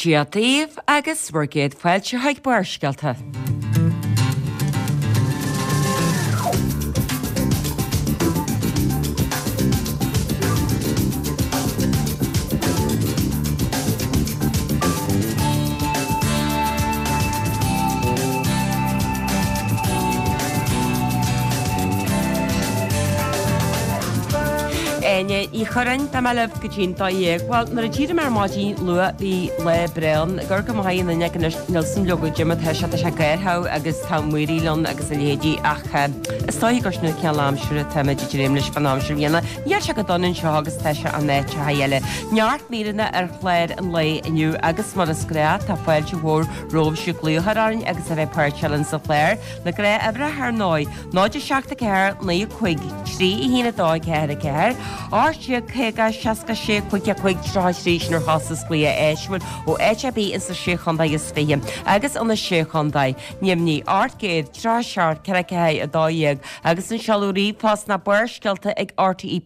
Dia daoibh agus bhur gcéad fáilte chuig Barrscéalta. Áine Ní Churráin, Beidh mé libh go dtí'n 12. Bhuel, nuair a d'éirigh mé ar maidin luath bhí lá breá ann. Ag amharc amach an fhuinneog anois, níl 's a'm leoga goidé mar atá sé, tá sé gártha agus tá maoraíl ann agus a leithéidí ach is dóiche gur sin an cineál aimsire atáimid ag dréim leis fán aimsir bhliana. Níl sé go dona anseo agus tá sé in áiteacha eile. Neart míreanna ar chlár an lae inniu agus mar is gnáth tá fáilte mhór romhaibhse glaoch a chur orainn agus a bheith páirteach linn sa chlár. Na gnáthuimhreacha ar ndóigh, 0 7 4 9 5 3 1 2 4 4, 18 50 66 5 5 33 sin ar chostas glaoch áitiúil ó áit ar bith ins na Sé Chontae is Fiche agus ó na Sé Chontae, Nimhní, 837 4 4 12 agus an seoladh ríomhphost ná barrscéalta ag rte.ie.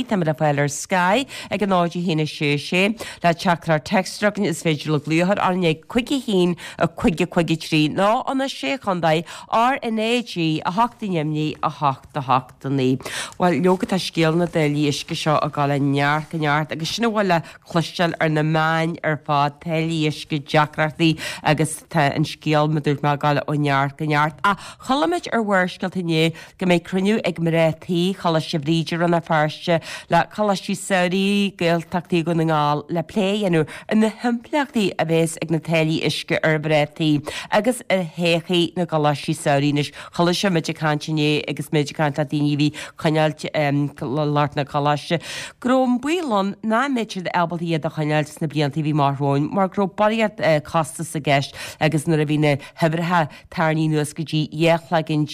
Táimid le fáil ar Sky ag a 0 1 6 6. Le teachtaireacht téacs a chugainn is féidir libh glaoch a chur orainn ag 5 1 5 5 3 nó ó na Sé Chontae RnaG 8 i nDoimní 8 8 9. Bhuel, leoga tá scéal na dtáillí uisce seo ag dul ó neart go neart agus sin a bhfuil le cloisteáil ar na meáin ar fad, táillí uisce, deacrachtaí agus tá an scéal, mar a dúirt mé, ag dul ó neart go neart. Ach chuala muid ar Bharrscéalta inné go mbeidh cruinniú ag mná tí Choláiste Bhríde Rann na Feirste le Coláistí Samhraidh Gaeltachtaí Dhún na nGall le plé a dhéanamh ar na himpleachtaí a bheas ag na táillí uisce ar mhná tí agus ar thodhchaí na gcoláistí samhraidh. Anois chuala sibh muid ag caint inné agus muid ag caint le daoine a bhí coinneáilt lucht na coláiste go raibh an baol ann nach mbeadh siad ábalta iad a choinneáilt sna blianta a bhí amach romhainn mar go raibh barraíocht costas i gceist agus nuair a bhí na huimhreacha tarraingthe anuas go dtí 12 chloigeann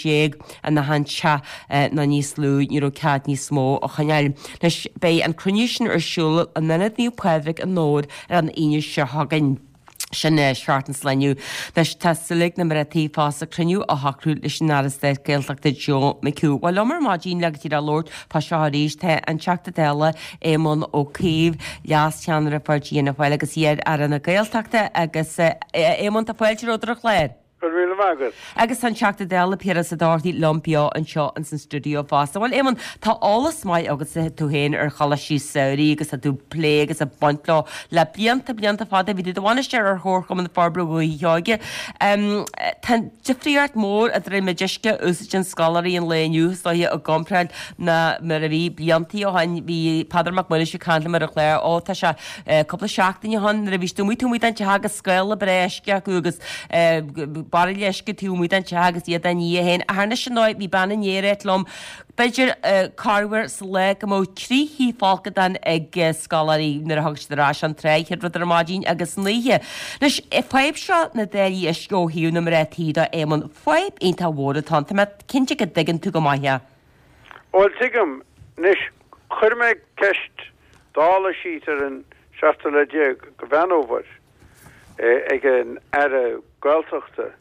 in achan teach nó níos lú, ní raibh cead níos mó a choinneáil. Anois beidh an cruinniú sin ar siúl in Ionad Naomh Pádraig i nDobhar ar an Aoine seo chugainn. Sin seachtain sa lá inniu. Anois tá súil ag na mná tí fosta cruinniú a shocrú leis an Aire Stáit Gaeltachta Joe McHugh. Bhuel liom ar maidin le go díreach labhairt fá seo arís tá an Teachta Dála Éamon Ó Cuív, Leas-Cheannaire Pháirtí Fhianna Fáil agus iar-Aire na Gaeltachta agus Éamon tá fáilte romhat ar an chlár. Go raibh míle maith agat. Agus tá an Teachta Dála Piaras Ó Dochartaigh liom beo anseo ins an stiúideo fosta. Bhuel, Éamon, tá eolas maith agatsa tú féin ar choláistí samhraidh agus tá tú ag plé agus ag baint leo le blianta, blianta fada. Bhí tú i do bhainisteoir ar Chomharchumann Forbartha Dhúiche Sheoighe. Tá difríocht mhór idir an méid uisce a úsáideann scoláirí an lae inniu, is dóiche, i gcomparáid ná mar a bhí bliantaí ó shin. Bhí Peadar Mac Muiris ag caint liom ar an chlár, ó tá sé cúpla seachtain ó shin nuair a bhí siad amuigh taobh amuigh den teach agus scála breá uisce acu agus bairille uisce taobh amuigh den teach agus iad á ní féin. Ach anois ar ndóigh bhí bean inné ag ráit liom b'fhéidir corruair sa lá go mbeadh 3 thí folcadán ag scoláirí nuair a thug siad ar ais ón trá an chéad rud ar maidin agus san oíche. Anois, fadhb seo na dtáillí uisce ó thaobh na mná tí de, Éamonn, fadhb iontach mhór atá ann. Tá mé cinnte go dtuigeann tú go maith é. Bhuel, tuigim. Anois, chuir mé ceist Dála síos ar an seachtú lá déag de Mheán Fhómhair ag an Aire Gaeltachta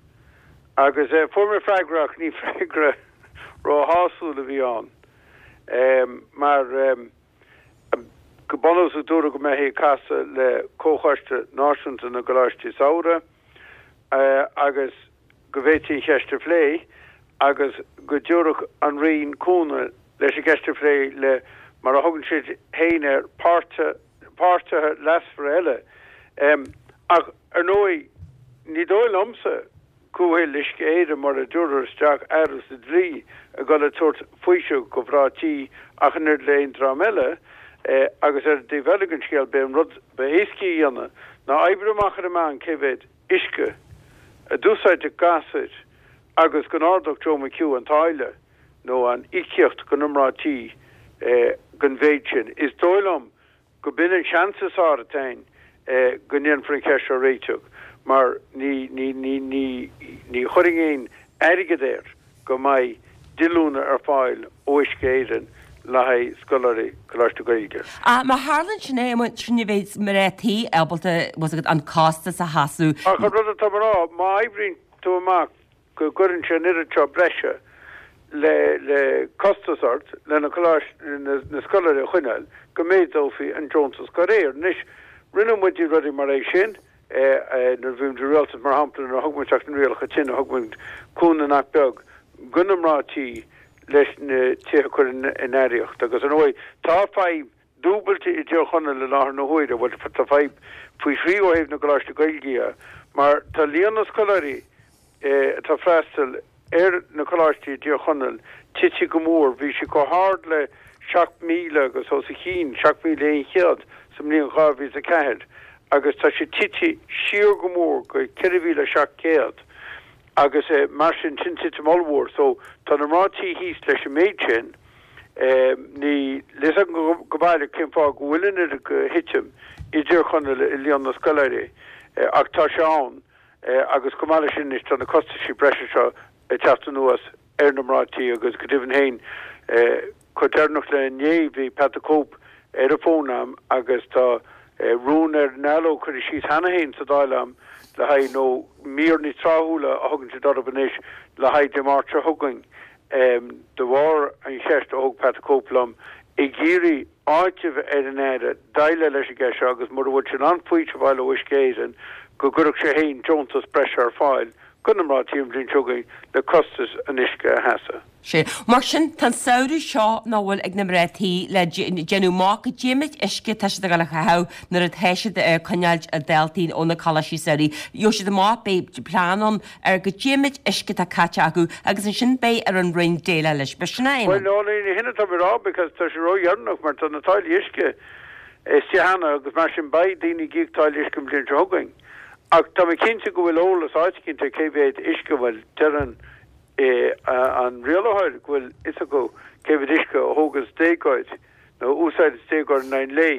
agus fuair mé freagra ach ní freagra róshásúil a bhí ann mar go bunúsach dúradh go mbeifí ag casadh le Comhchoiste Náisiúnta na gColáistí Samhraidh agus go bhféadfaí an cheist a phlé agus go dtabharfadh an Roinn cúnamh leis an gceist a phlé le, mar a thugann siad féin air, páirtithe leasmhara eile. Ach, ar ndóigh, ní dóigh liomsa go bhfuil Uisce Éireann, mura dtabharfar isteach athrú sa dlí, ag dul ag tabhairt faoiseamh do mhná tí ach an oiread le haon dream eile. Agus ar an dtaobh eile den scéal, b'é an rud ba éascaí a dhéanamh ná oibriú amach ar an meán cé mhéad uisce a d'úsáideadh gasúir agus go n-ardódh Joe McHugh an táille nó an íocaíocht do na mná tí den mhéid sin. Is dóigh liom go b'in an seans is fearr atá ann go ndéanfar an cheist seo a réiteach mar ní ní ní ní ní chuirfinn aon airgead air go mbeidh díolúine ar fáil ó Uisce Éireann le haghaidh scoláirí Coláiste Gaeilge. Ach má tharlaíonn sin é, sin ní bheidh mná tí ábalta, bhfuil fhios agat, an costas a sheasamh. Ach an rud atá mé a rá, má oibríonn tú amach go gcuireann sé an oiread seo breise le le costas ort le na coláistí, na scoláirí a choinneáil, go méadófaí an deontas dá réir. Anois, rinne muid rudaí mar é sin. Nuair a bhí muid i rialtas, mar shampla, nuair a thug muid isteach na rialacha tine, thug muid cúnamh nach beag do na mná tí leis na tithe a chur in aeraíocht. Agus ar ndóigh, tá fadhb dúbailte i dTír Chonaill i láthair na huaire, bhuel, tá fadhb faoi thrí ó thaobh na gcoláistí Gaeilge dhe, mar tá líon na scoláirí atá ag freastal ar na coláistí i dTír Chonaill tite go mór. Bhí sé chomh hard le 7,000 agus os a chionn, 7,100 sa mbliain 2004 agus tá sé tite siar go mór go 4,700 agus mar sin, sin titim ollmhór. So tá na mná tí thíos leis an méid sin. Níl fhios agam go baileach cén fáth go bhfuil an oiread de thitim i dTír Chonaill i líon na scoláirí ach tá sé ann. Agus chomh maith leis sin anois tá na costaisí breise seo ag teacht anuas ar na mná tí agus go deimhin féin chomh deireanach le inné bhí Pat the Cope ar an bhfón a'm agus tá rún ar an ndallóg curtha síos cheana féin sa Dáil a'm le haghaidh, nó mír níos tráthúla a thugann siad orthu anois, le haghaidh Dé Máirt seo chugainn de bharr an cheist a thóg Pat the Cope liom ag iarraidh áiteamh ar an Aire déileáil leis an gceist seo agus mura bhfuil sé in ann faoiseamh a fháil ó Uisce Éireann go gcuirfeadh sé féin deontas breise ar fáil do na mná tí an bhliain seo chugainn le costas an uisce a sheasamh. Sea. Mar sin, tá an samhradh seo nach bhfuil ag na mná tí le déanamh amach goidé méid uisce atá siad ag dul a chaitheamh nuair atá siad ag coinneáilt a ndaltaí ó na coláistí samhraidh. Gheobhaidh siad amach, beidh plean ann ar goidé méid uisce atá caite acu agus ansin beidh ar an Roinn déileáil leis. B'shin é, Éamonn. Bhuel, no, ní hin atá mé a rá because tá sé ródheireanach mar tá na táillí uisce istigh cheana agus mar sin beidh daoine ag íoc táille uisce an bhliain seo chugainn. Ach tá mé cinnte go bhfuil eolas áit eicínt ar cé mhéad uisce, bhuel, deireann an rialaitheoir go bhfuil fhios acu cé mhéad uisce a thógas déagóir nó a úsáideas déagóir in aghaidh an lae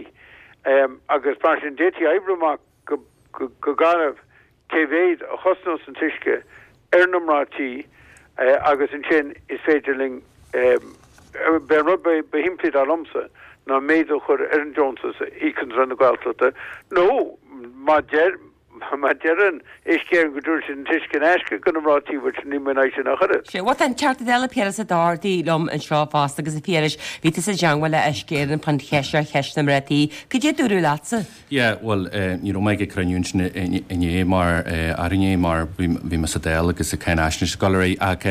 agus mar sin d'fhéadfaí oibriú amach go go garbh cé mhéad a chosnós an t-uisce ar na mná tí agus ansin is féidir linn, b'é an rud ba shimplí dar liomsa ná méadú a chur ar an deontas a íocann Roinn na Gaeltachta nó má deir má deireann Uisce Éireann go dtabharfaidh siad an t-uisce in aisce do na mná tí, bhuel sin níl mé in aghaidh sin ach oiread. Sea, bhuel tá an Teachta Dála Piaras Ó Dochartaigh liom anseo fosta agus a Phiarais, bhí tusa i dteangmháil le Uisce Éireann fán cheist seo, cheist na mná tí. Cad é a dúradh leatsa? Yeah, bhuel, ní raibh mé ag an cruinniú ansin inné mar, arú inné mar bhí mé sa Dáil agus ag cáinaisnéis ag dul ar aghaidh ach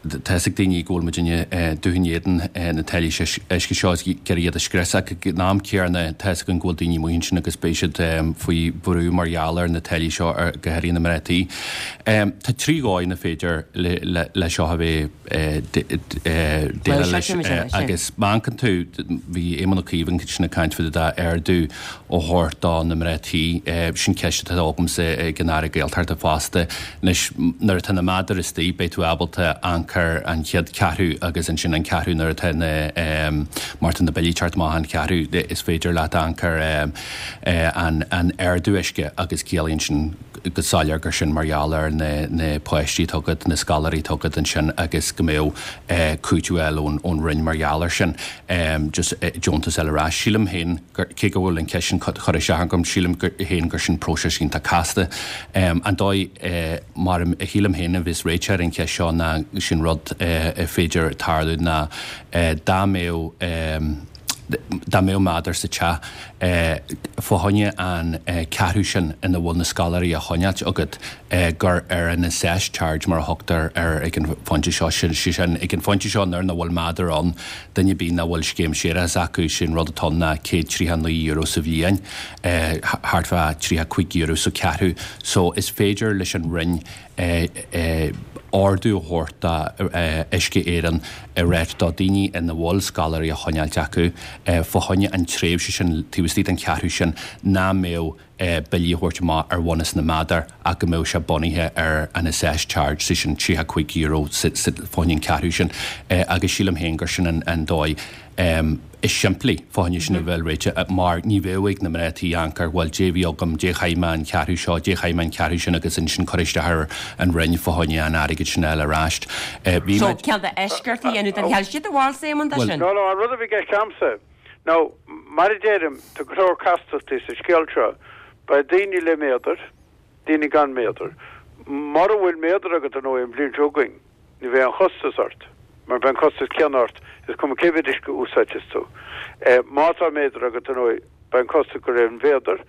tá fhios ag daoine go bhfuil muidinne dubh in éadan na táillí uisce seo is ag iarraidh iad a scrios ach ag an am céanna tá fhios againn go bhfuil daoine amuigh ansin agus beidh siad faoi bhrú mar gheall ar na táillí seo go háirithe na mná tí. Tá 3 dhóigh ina féidir le seo a bheith déileáil leis agus má amharcann tú, bhí Éamon Ó Cuív ansin ag caint fá dtaobh d'ardú a thabhairt do na mná tí, sin ceist atá agamsa ag an Aire Gaeltachta fosta. Anois nuair atá na méadair istigh beidh tú ábalta amharc ar an chéad cheathrú agus ansin an ceathrú nuair atá na, mar tá na billí ag teacht amach an cheathrú is féidir leat amharc ar an ardú uisce agus ciallaíonn sin go soiléir gur sin mar gheall ar na páistí atá agat, na scoláirí atá agat ansin agus go mbeadh cúiteamh a fháil ón Roinn mar gheall air sin, just deontas a fháil ar ais. Sílim féin gur, cé go bhfuil an cheist sin curtha isteach agam, sílim féin gur sin próiseas iontach casta. An dóigh mar a shílim féin a bheas réiteach ar an cheist seo ná sin rud a féidir tarlú ná dá mbeadh, dá mbeadh méadar sa teach fá choinne an ceathrú sin ina bhfuil na scoláirí á choinneáilt agat, gur ar an assessed charge mar a thugtar air ag an phointe seo, sé sin, ag an phointe seo nuair nach bhfuil méadar ann, duine ar bith nach bhfuil scéim séarachais acu, sé an rud atá ann ná €139 sa bhliain, thart fá €35 sa cheathrú. So is féidir leis an Roinn ordú a thabhairt do Uisce Éireann ag ráit do daoine ina bhfuil scoláirí á choinneáilt acu fá choinne an tréimhse sin taobh istigh den cheathrú sin nach mbeadh billí a thabhairt amach ar bhunús na méadar ach go mbeadh sé bunaithe ar an assessed charge, sé sin €35 fá choinne an ceathrú sin agus sílim féin gur sin an dóigh is simplí fá choinne sin a bheith réitithe mar ní bheadh ag na mná tí amharc ar bhuel dé bhí agam, dé chaith mé an ceathrú seo, dé chaith mé an ceathrú sin agus ansin cur isteach ar an Roinn fá choinne an airgid sin a fháil ar ais. Bhí So, muid. cineál d'eisceacht a dhéanamh den cheal. Cad é do bharúil, Éamonn, de sin? No, no, an rud a bhí i gceist a'msa, now, mar a deirim, tá go leor castachtaí sa scéal seo. Beidh daoine le méadar, daoine gan méadar. Mura bhfuil méadar agat, ar ndóigh, an bhliain seo chugainn, Ní bheidh aon chostas ort, mar beidh an costas céanna ort, is cuma cé mhéad uisce a úsáidfeas tú. Má tá méadar agat, ar ndóigh, Beidh an costas de réir an mhéadair.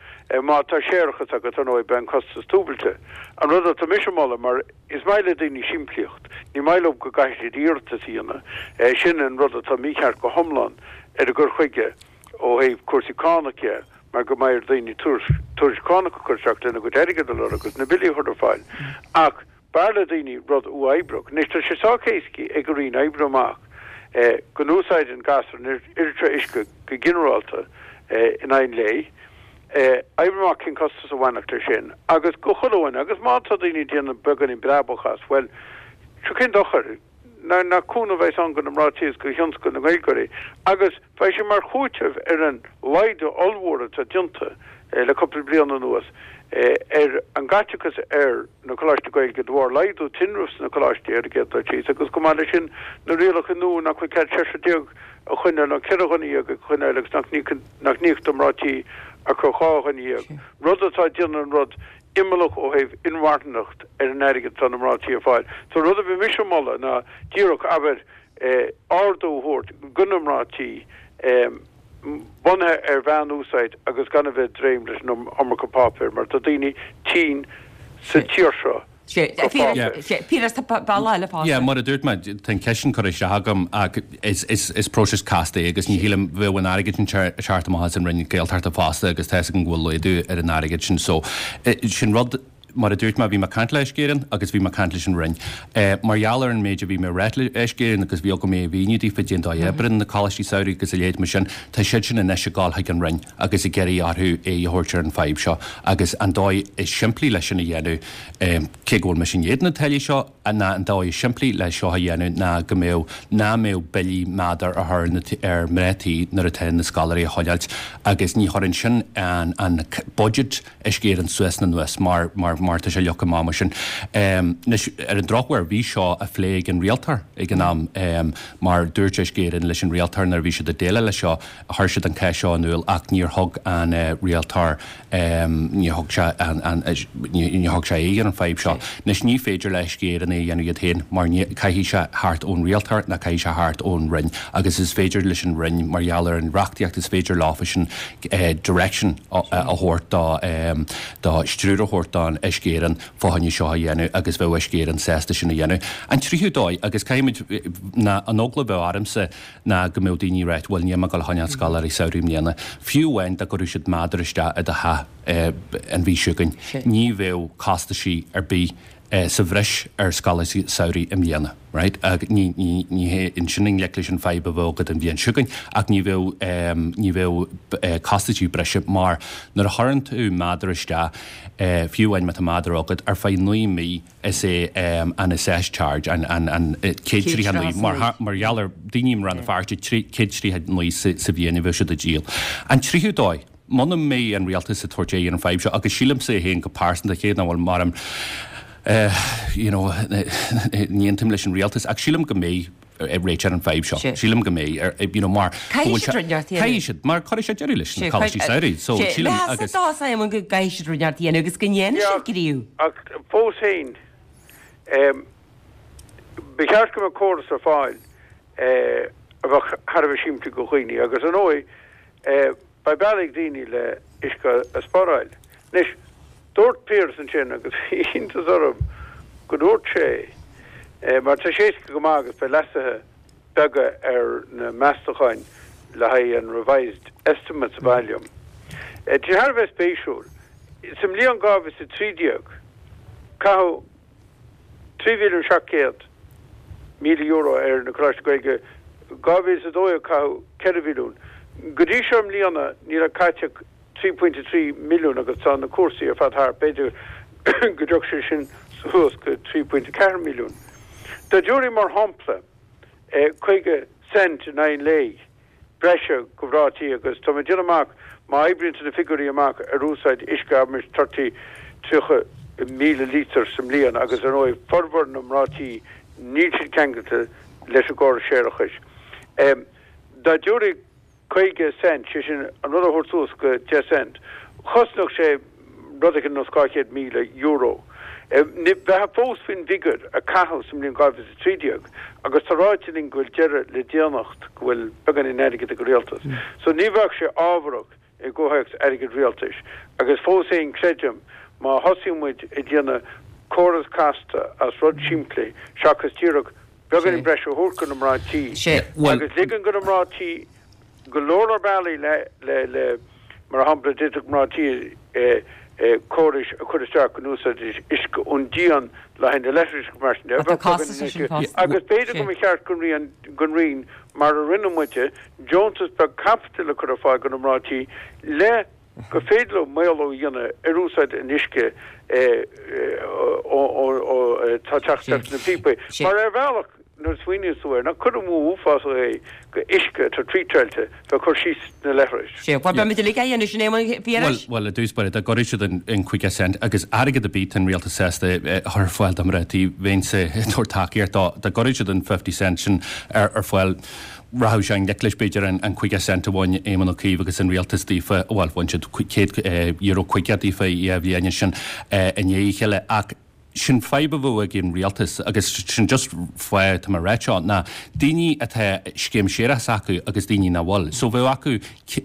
Má tá séarachas agat, ar ndóigh, beidh an costas dúbailte. An rud atá mise a mholadh, mar is maith le daoine simplíocht, ní maith leo go gcaithfidh siad iarratas a dhéanamh, sin an rud atá mícheart go hiomlán ar an gcur chuige ó thaobh cúrsaí cánach dhe, mar go mbeidh ar dhaoine tuairisc cánach a chur isteach lena gcuid airgid a lorg agus na billí a chur ar fáil. Ach b'fhearr le daoine rud uathoibríoch. Anois tá sé sách éasca ag an Roinn oibriú amach go n-úsáideann gasúr an oiread seo uisce go ginearálta in aghaidh an lae, oibriú amach cén costas a bhainfeadh leis sin agus go chuile dhuine agus má tá daoine ag déanamh beagáinín breabach as, bhuel, sure cén dochar? Nach cúnamh a bheas ann do na mná tí agus do thionscal na nGaeilgeoirí agus beidh sé mar chúiteamh ar an laghdú ollmhór atá déanta le cúpla bliain anuas ar an gcaiteachas ar na coláistí Gaeilge de bharr laghdú tinrimh sna coláistí ar an gcéad dul síos agus chomh maith leis sin na rialacha nua nach bhfuil cead seisear déag a choinneáil nó 14 dhuine a choinneáil agus nach n-íoctar mná tí ach ar 12 dhuine, rud atá ag déanamh an rud imeallach ó thaobh inmharthanacht ar an airgead atá na mná tí ag fáil. So rud a bhí mise a mholadh ná díreach, abair, ardú a thabhairt go na mná tí bunaithe ar mheán-úsáid agus gan a bheith ag dréim leis an iomarca páipéir mar tá daoine tinn sa tír seo go páipéir. Piaras, tá bealach eile fosta. Yeah, mar a dúirt mé, tá an ceist sin curtha isteach agam ach is próiseas casta é agus ní shílim, bheadh an airgead sin ag teacht amach as an Roinn Gaeltachta fosta agus tá fhios agam go bhfuil laghdú ar an airgead sin so sin rud, mar a dúirt mé, bhí mé ag caint le Uisce Éireann agus bhí mé ag caint leis an Roinn. Mar gheall ar an méid a bhí mé ag ráit le Uisce Éireann agus bhí agam é a mhíniú daofa cén dóigh a oibríonn na coláistí samhraidh agus a leithéid mar sin, tá siad sin anois ag dul chuig an Roinn agus ag iarraidh orthu aghaidh a thabhairt ar an fadhb seo agus an dóigh is simplí leis sin a dhéanamh, cé go bhfuil mise in éadan na táillí seo, ná an dóigh is simplí le seo a dhéanamh ná go mbeadh, ná mbeadh billí méadair a chur ar mná tí nuair atá na scoláirí a choinneáilt agus ní chuireann sin an, an budget Uisce Éireann suas ná anuas mar, mar, mar tá sé leagtha amach mar sin. Anois, ar an drochuair, bhí seo á phlé ag an rialtóir ag an am mar dúirt Uisce Éireann leis an rialtóir nuair a bhí siad ag déileáil leis seo, chuir siad an cás seo in iúl ach níor thug an rialtóir, níor thug sé an, níor thug sé aghaidh ar an fadhb seo. Anois ní féidir le Uisce Éireann é a dhéanamh iad féin mar ní, caithfidh sé theacht ón rialtóir nó caithfidh sé theacht ón Roinn agus is féidir leis an Roinn mar gheall ar an reachtaíocht is féidir leofa sin direction a thabhairt do, do stiúir a thabhairt don Uisce Éireann fá choinne seo a dhéanamh agus bheadh Uisce Éireann sásta sin a dhéanamh. An tríú dóigh agus caithfimid, ná an eagla a bheadh ormsa, ná go mbeadh daoine ag ráit, bhuel, níl mé ag dul a choinneáil scoláirí samhraidh i mbliana. Fiú amháin dá gcuirfeadh siad méadar isteach i do theach an mhí seo chugainn, ní bheadh costaisí ar bith sa bhreis ar scoláirí samhraidh i mbliana. Right? Ní, ní, ní hé ansin i ngleic leis an fadhb a bheadh agat an bhliain seo chugainn, ach ní bheadh, ní bheadh costaisí breise mar nuair a chuireann tú méadar isteach, fiú amháin má tá méadar agat, ar feadh 9 mí, Is é an assessed charge an 139 mar gheall ar daoine i mBrann na Feirste 139 sa bhliain a bheadh siad ag díol. An tríú dóigh, muna mbeidh an rialtas ag tabhairt aghaidh ar an fadhb seo, agus sílimse féin go pearsanta, cé nach bhfuil mar you know ní aontaím leis an rialtas, ach sílim go mbeidh réiteach ar an fadhb seo. Sílim go mbeidh, you know, mar Caithfidh siad rud inteacht a dhéanamh. Caithfidh siad, mar cuirfidh sé deireadh leis na coláistí samhraidh. So sílim agus. Meas atá Simon go gcaithfidh siad rud inteacht a dhéanamh agus go ndéanfaidh siad gníomh. Ach fós féin, ba cheart go mbeadh córas ar fáil a bheadh thar a bheith simplí do dhaoine agus ar ndóigh, Beidh bealaí ag daoine le uisce a spáráil. Anois, dúirt Piaras ansin, agus bhí iontas orm go ndúirt sé, mar tá sé éasca go maith agus beidh leasuithe beaga ar na meastacháin le haghaidh an revised estimates a mhaith liom. Tá sé thar a bheith spéisiúil. Sa mbliain 2013, caitheadh €3,700,000 ar na Coláistí Gaeilge, 2012 caitheadh 4 mhilliún. Go dtí seo i mbliana níl ach caite ach 3.3 milliún agus tá na cúrsaí ar fad thart, b'fhéidir go dtiocfaidh sé sin suas go 3.4 milliún. Dá dtabharfaí mar shampla 50 cent in aghaidh an lae, breise do mhná tí agus tá mé ag déanamh amach, má oibríonn tú na figiúirí amach ar úsáid uisce abraimis 30, 30,000 lítear sa mbliain agus ar ndóigh formhór na mná tí níl siad ceangailte leis an gcóras séarachais. Dá dtabharfaí 50 cent, sé sin an rud a thabhairt suas go 10 cent, chosnódh sé rud éigin ar nós €200,000. Bheifeá fós faoin bhfigiúr a caitheadh sa mbliain 2013 agus tá ráite linn go bhfuil deireadh le déanacht, go bhfuil beagáinín airgid ag an rialtas. So ní bheadh sé ábharach. i gcomhthéacs airgead rialtais. Agus fós féin creidim má thosaíonn muid ag déanamh córas casta as rud simplí seachas díreach beagáinín breise a thabhairt go na mná tí agus ligean go na mná tí go leor leor bealaí le le le mar shampla d'fhéadfadh mná tí córais a chur isteach go n-úsáidfidís uisce ón díon le haghaidh na leithris agus mar sin de. Tá costas leis sin fosta. Agus b'fhéidir go mba cheart don Roinn don Roinn mar a rinne muide deontas beag caipitil a chur ar fáil go na mná tí le gur féidir leo maolú a dhéanamh ar úsáid an uisce atá ag teacht isteach sna píopaí. Mar ar bhealach, nuair a smaoiníonns tú air, nach cur amú uafásach é go uisce atá tríteáilte bheith ag cur síos sna leithris. Sea, bhuel, beimid uilig á dhéanamh sin, Éamonn Phiarais. Bhuel, i dtús báire, dá gcuirfeadh siad an 50 cent agus airgead ar bith tá an rialtas sásta a chur ar fáil do mhná tí, bheinnse ag tabhairt tacaíocht dó, dá gcuirfeadh siad an 50 cent sin ar fáil, Rachadh sé i ngleic leis, b'fhéidir, an 50 cent a bhain Éamon Ó Cuív agus an rialtas daofa, bhuel, bhain siad €100 50 daofa i bhliain ansin i ndiaidh a chéile. Ach sin fadhb a bheadh ag an rialtas agus sin just fáth atá mé ag ráit seo, ná daoine atá scéim séarachais acu agus daoine nach bhfuil. So bheadh acu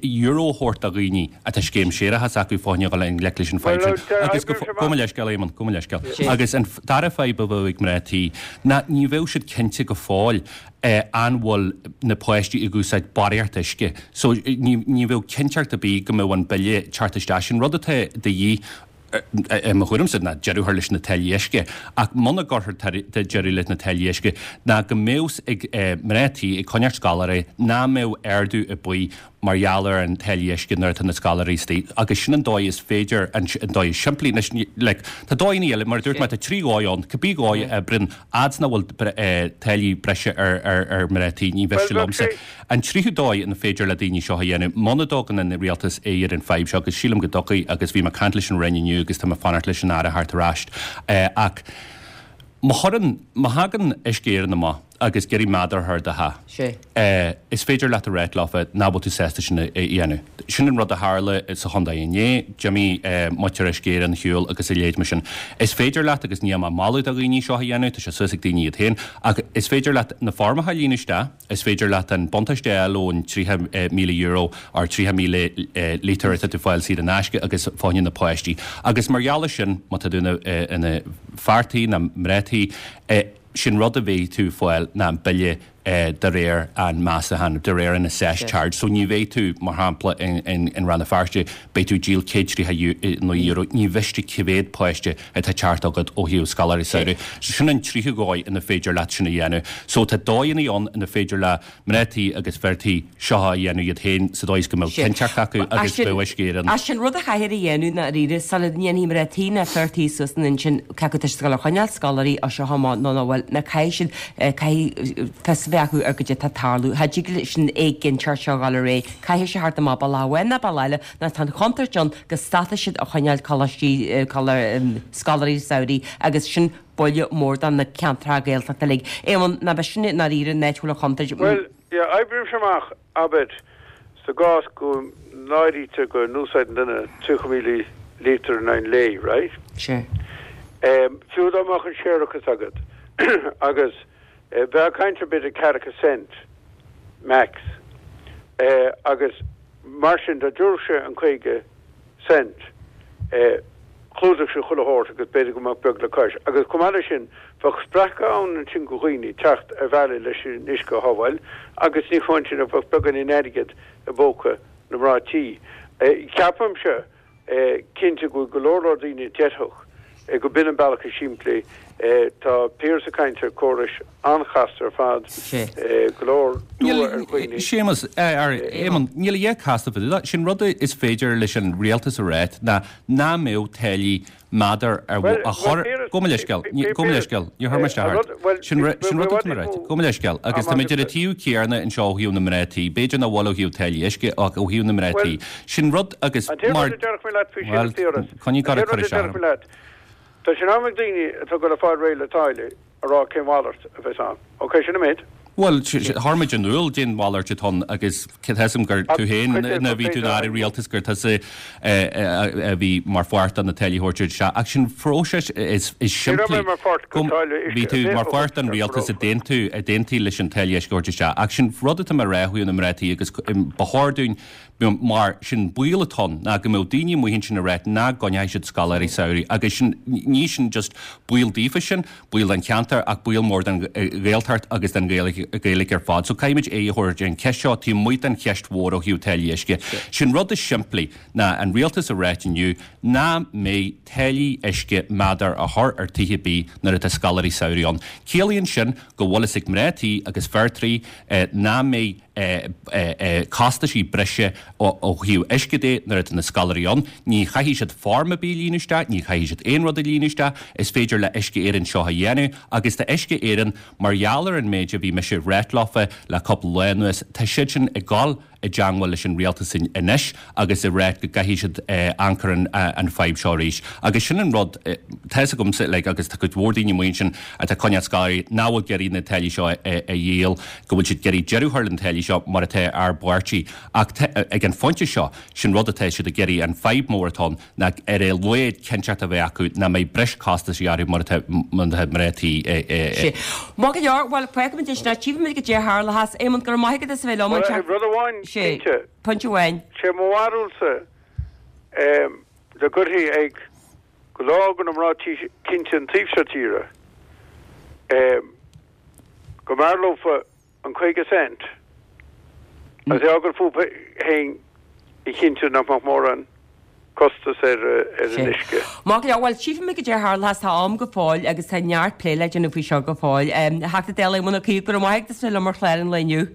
euro a thabhairt do dhaoine atá scéim séarachais acu fá choinne dhul i ngleic leis an fadhb sin. Agus go, gabh mo leithscéal, Éamon, gabh mo leithscéal. Agus an dara fadhb a bheadh ag mná tí ná ní bheadh siad cinnte go fóill an bhfuil na páistí ag úsáid barraíocht uisce. So ní ní bheadh cinnteacht ar bith go mbeadh an bille ag teacht isteach. Sin rud atá de dhíth i mo thuairimse ná deireadh a chur leis na táillí uisce. Ach muna gcuirfear deireadh leis na táillí uisce ná go mbeadh ag mná tí ag coinneáil scoláirí nach mbeadh ardú ar bith mar gheall ar an táillí uisce nuair atá na scoláirí istigh agus sin an dóigh is féidir, an dóigh is simplí. Anois, like, tá dóigheanna eile, mar a dúirt mé, tá trí dhóigh ann, cibé dhóigh a oibríonn, fhad's nach bhfuil táillí breise ar ar mná tí, ní mhiste liomsa. An tríú dóigh ina féidir le daoine seo a dhéanamh, muna dtugann an rialtas aghaidh ar an fadhb seo, agus sílim go dtiocfaidh, agus bhí mé ag caint leis an Roinn inniu agus tá mé ag fanacht leis an Aire theacht ar ais, ach má chuireann, má thagann Uisce Éireann amach agus ag iarraidh méadar a chur ar do theach, is féidir leat a ráit leofa nach bhfuil tú sásta sin a dhéanamh. Sin an rud a tharla sa chontae inné, d'imigh muintir Uisce Éireann ar shiúl agus a leithéid mar sin. Is féidir leat, agus níl mé ag moladh do dhaoine seo a dhéanamh, tá sé suas ag daoine iad féin, ach is féidir leat na foirmeacha a líonadh isteach, Is féidir leat an buntáiste a fháil ón €30,000 or 30,000 lítear atá tú ag fáil saor in aisce agus fá choinne na páistí. Agus mar gheall air sin, má tá tú ina fear tí nó mná tí, sin rud a bheidh tú ag fáil ná an bille de réir an meastachán, de réir an assessed charge. So ní bheidh tú, mar shampla, in Rann na Feirste, beidh tú ag díol €139, ní mhiste cé mhéad páiste atá ag teacht agat ó thaobh scoláirí samhraidh. So sin an tríú dhóigh ina féidir leat sin a dhéanamh. So tá dóigheanna ann ina féidir le mná tí agus fir tí seo a dhéanamh iad féin sa dóigh is go mbeadh cinnteacht acu agus bheadh Uisce Éireann. Ach sin rud a chaithfear a dhéanamh ná dáiríre sula ndéanfaidh mná tí ná fir tí suas ina n-intinn cé acu tá siad ag dul a choinneáil scoláirí as seo amach nó nach bhfuil, ná caithfidh siad, caithfidh fios a bheith acu ar goidé atá ag tarlú. Cha dtig leis an éiginnteacht seo a dhul ar aghaidh. Caithfidh sé theacht amach bealach amháin nó bealach eile nó tá an chontúirt ann go stopfaidh siad a choinneáil coláistí, scoláirí samhraidh agus sin buille mór do na ceantracha Gaeltachta uilig. Éamonn, ná beidh sin i ndáiríre an áit a bhfuil an chontúirt? Bhuel, yeah, oibrímse amach, abair, sa gcás go n-áirítear go n-úsáideann duine 30,000 lítear in aghaidh an lae, right? Sure. Fiú dá mbeadh an séarachas agat agus bheifeá ag caint ar b'fhéidir ceathracha cent max agus Mar sin, dá dtabharfadh sé an 50 cent, chlúdódh sé chuile shórt agus b'fhéidir go mbeadh beag le cois. Agus chomh maith leis sin, bheadh spreacadh ann ansin go dhaoine teacht ar bhealaí leis an uisce a shábháil agus ní hamháin sin ach bheadh beagáinín airgid i bpóca na mná tí. Ceapaimse cinnte go bhfuil go leor leor daoine a déarfadh go b'in an bealach is simplí. Tá Piaras ag caint ar córais an-chasta ar fad, go leor dua ar dhaoine. Séamus, ar Éamonn, níl a dhath casta fá dtaobh de. Sin rud is féidir leis an rialtas a ráit ná ná mbeadh táillí méadar a chur, gabh mo leithscéal, gabh mo leithscéal, níor chuir mé isteach ort. Sin rud atá mé a ráit, gabh mo leithscéal, agus táimid ar an taobh céanna anseo ó thaobh na mná tí, b'fhéidir nach bhfuil ó thaobh táillí uisce ach ó thaobh na mná tí. Sin rud agus mar, bhuel, coinnigh ag cur isteach orm. Tá sé in am ag daoine atá ag dul ag fáil réidh le táille a rá cén mhalairt a bheas ann. Ok, sin an méid. Bhuel, chuir muid in iúl goidé an mhalairt atá ann agus tá 'fhios a'm gur tú féin nuair a bhí tú ina Aire Rialtais gur tusa a bhí mar pháirt de na táillí a thabhairt isteach. Ach sin phróiseas is simplí. Bhí tú mar pháirt den rialtas a d'aontaigh leis an táille uisce a thabhairt isteach. Ach sin rud atá mé a rá faoi na mná tí agus ba chóir dúinn Mar sin baol atá ann ná go mbeadh daoine amuigh ansin ag ráit nach gcoinneoidh siad scoláirí samhraidh agus sin, ní sin just baol daofa sin, baol don cheantar ach baol mór don Ghaeltacht agus don Ghaeilge ar fad. So caithfimid aghaidh a thabhairt ar an cheist seo taobh amuigh den cheist mhór ó thaobh táillí uisce. Sin rud is simplí ná an rialtas a ráit inniu nach mbeidh táillí uisce méadar a chur ar tithe ar bith nuair atá scoláirí samhraidh ann. Ciallaíonn sin go bhfuil fhios ag mná tí agus fir tí nach mbeidh costaisí breise ó thaobh uisce de nuair atá na scoláirí ann. Ní chaithfidh siad form ar bith a líonadh isteach, ní chaithfidh siad aon rud a líonadh isteach. Is féidir le Uisce Éireann seo a dhéanamh agus tá Uisce Éireann, mar gheall ar an méid a bhí mise ag ráit leofa le cúpla lá anuas, tá siad sin ag dul i dteangmháil leis an rialtas anois agus ag ráit go gcaithfidh siad amharc ar an fadhb seo arís. Agus sin an rud, tá fhios agamsa, like, agus tá cuid mhór daoine amuigh ansin atá ag coinneáil scoláirí nach bhfuil ag iarraidh na táillí seo a dhíol, go bhfuil siad ag iarraidh deireadh a chur leis na táillí seo mar atá ár bpáirtí. Ach ag an phointe seo, sin rud atá siad ag iarraidh, an fadhb mór atá ann ná ar a laghad cinnteacht a bheith acu nach mbeidh breis costaisí orthu mar atá mná tí ag. Maith go leor, bhuel, fágfaimid é sin, tchífimid goidé a tharlóchas. Éamonn, go raibh maith agat as a bheith liom anseo. Rud amháin, cinnte. Pointe amháin. Sé mo bharúilsa dá gcuirfí ag go leor de na mná tí cinnte an taobh seo tíre go mb'fhearr leofa an 50 cent agus é a fhágáil fúthu féin a chinntiú nach mbeadh mórán costas ar an uisce. Maith go leor, bhuel, tchífimid goidé a tharlóchas, tá am go fóill agus tá neart plé le déanamh faoi seo go fóill. A Theachta Dála Éamon Ó Cuív, go raibh maith agat as bheith liom ar chlár an lae inniu.